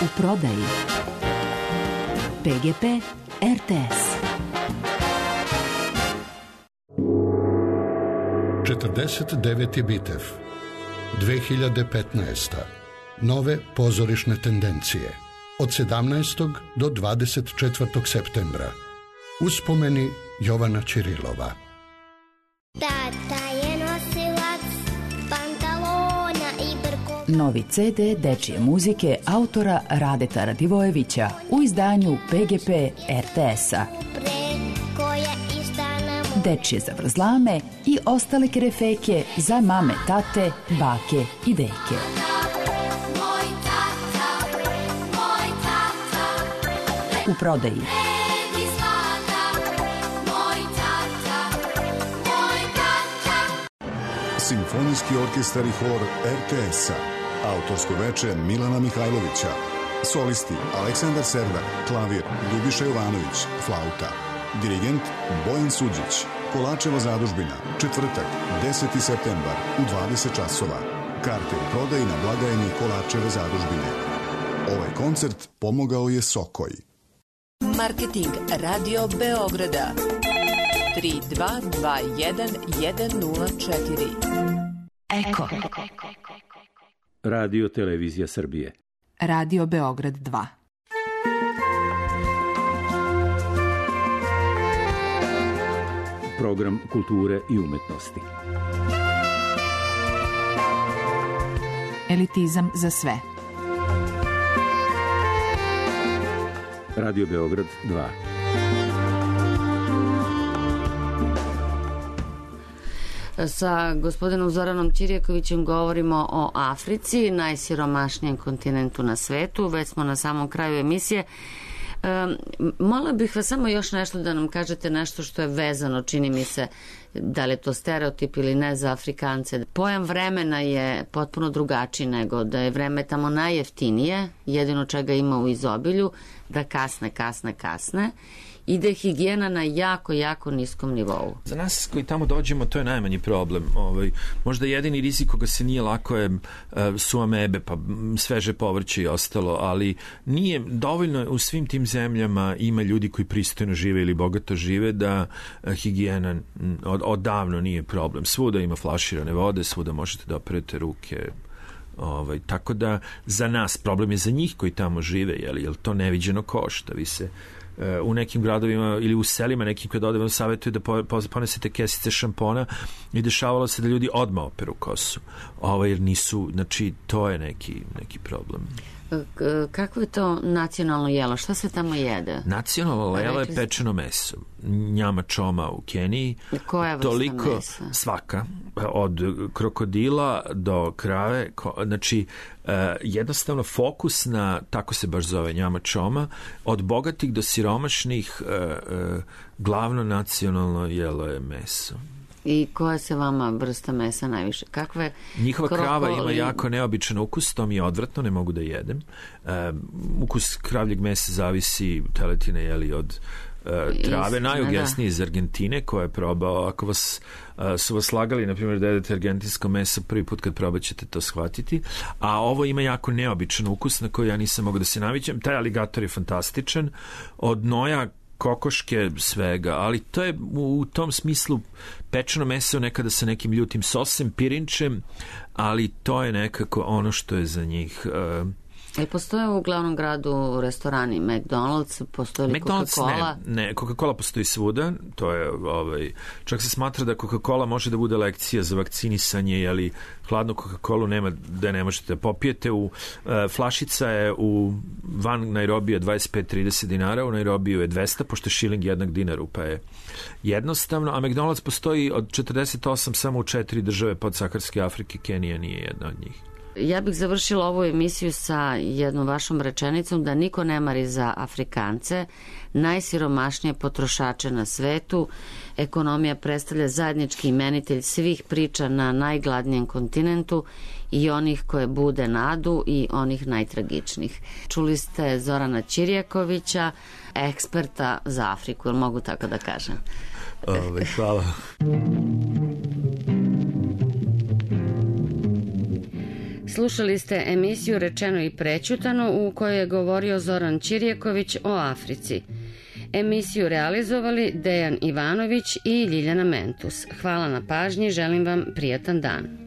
U prodaji P G P R T S. četrdeset deveti Bitev. dve hiljade petnaesta. Nove pozorišne tendencije. Od sedamnaestog do dvadeset četvrtog septembra. Uspomeni Jovana Ćirilova. Tata je nosilac pantalona i brko. Novi ce de dečije muzike autora Radeta Radivojevića u izdanju pe ge pe er te es-a. Dečije zavrzlame i ostale kerefeke za mame, tate, bake i deke. U prodaji. Simfonijski orkestar i hor er te es-a. Autorsko veče Milana Mihajlovića. Solisti Aleksandar Serdar, klavir Ljubiša Jovanović, flauta. Dirigent Bojan Suđić. Kolačeva zadužbina, četvrtak, deseti septembar u dvadeset časova. Karte u prodaji na blagajni Kolačeve zadužbine. Ovaj koncert pomogao je Sokoj. Marketing Radio Beograda tri dva dva jedan jedan nula četiri. Eko. Radio Televizija Srbije. Radio Beograd dva. Program kulture i umetnosti. Elitizam za sve. Radio Beograd dva. Sa gospodinom Zoranom Ćirjakovićem govorimo o Africi, najsiromašnijem kontinentu na svetu. Već smo na samom kraju emisije. Um, Molila bih vas samo još nešto da nam kažete nešto što je vezano, čini mi se, da li je to stereotip ili ne, za Afrikance. Pojam vremena je potpuno drugačiji, nego da je vreme tamo najjeftinije, jedino čega ima u izobilju, da kasne, kasne, kasne i da je higijena na jako, jako niskom nivou. Za nas koji tamo dođemo to je najmanji problem. Ovaj, možda jedini rizik koga se nije lako je su amebe, pa sveže povrće i ostalo, ali nije dovoljno. U svim tim zemljama ima ljudi koji pristojno žive ili bogato žive, da higijena od, odavno nije problem. Svuda ima flaširane vode, svuda možete da operete ruke. Ovaj, tako da za nas problem je za njih koji tamo žive, jel, jel to neviđeno košta. Vi se u nekim gradovima ili u selima nekim kada odemo savjetuju da ponesete kesice šampona i dešavalo se da ljudi odmah operu kosu. Ovo jer nisu, znači to je neki, neki problem. Kako je to nacionalno jelo? Šta se tamo jede? Nacionalno jelo je pečeno meso. Njama čoma u Keniji. Koja vrsta toliko, mesa? Svaka. Od krokodila do krave. Znači, jednostavno fokus na, tako se baš zove, njama čoma, od bogatih do siromašnih, glavno nacionalno jelo je meso. I koja se vama vrsta mesa najviše? Kakve Njihova krokoli... krava ima jako neobičan ukus, to mi je odvratno, ne mogu da jedem. E, ukus kravljeg mesa zavisi, teletine, jeli, od e, trave. Is, najugesniji iz Argentine, koja je probao, ako vas e, su vas lagali, na primjer, da jedete argentinsko meso, prvi put kad probat ćete to shvatiti. A ovo ima jako neobičan ukus na koji ja nisam mogu da se naviđem. Taj aligator je fantastičan. Od noja, kokoške, svega, ali to je u tom smislu pečeno meso nekada sa nekim ljutim sosem, pirinčem, ali to je nekako ono što je za njih. Uh, I postoje u glavnom gradu restorani McDonald's, postoje li McDonald's Coca-Cola? Ne, ne, Coca-Cola postoji svuda, to je, ovaj, čak se smatra da Coca-Cola može da bude lekcija za vakcinisanje, ali hladnu Coca-Colu nema da ne možete da popijete. U, uh, flašica je u van Nairobija dvadeset pet do trideset dinara, u Nairobiju je dvesta, pošto je šiling jednak dinaru, pa je jednostavno, a McDonald's postoji od četrdeset osam samo u četiri države podsaharske Afrike, Kenija nije jedna od njih. Ja bih završila ovu emisiju sa jednom vašom rečenicom da niko ne mari za Afrikance, najsiromašnije potrošače na svetu. Ekonomija predstavlja zajednički imenitelj svih priča na najgladnijem kontinentu, i onih koje bude nadu i onih najtragičnijih. Čuli ste Zorana Ćirjakovića, eksperta za Afriku, jel mogu tako da kažem? Ove, hvala. Slušali ste emisiju Rečeno i prećutano, u kojoj je govorio Zoran Ćirjaković o Africi. Emisiju realizovali Dejan Ivanović i Ljiljana Mentus. Hvala na pažnji, želim vam prijatan dan.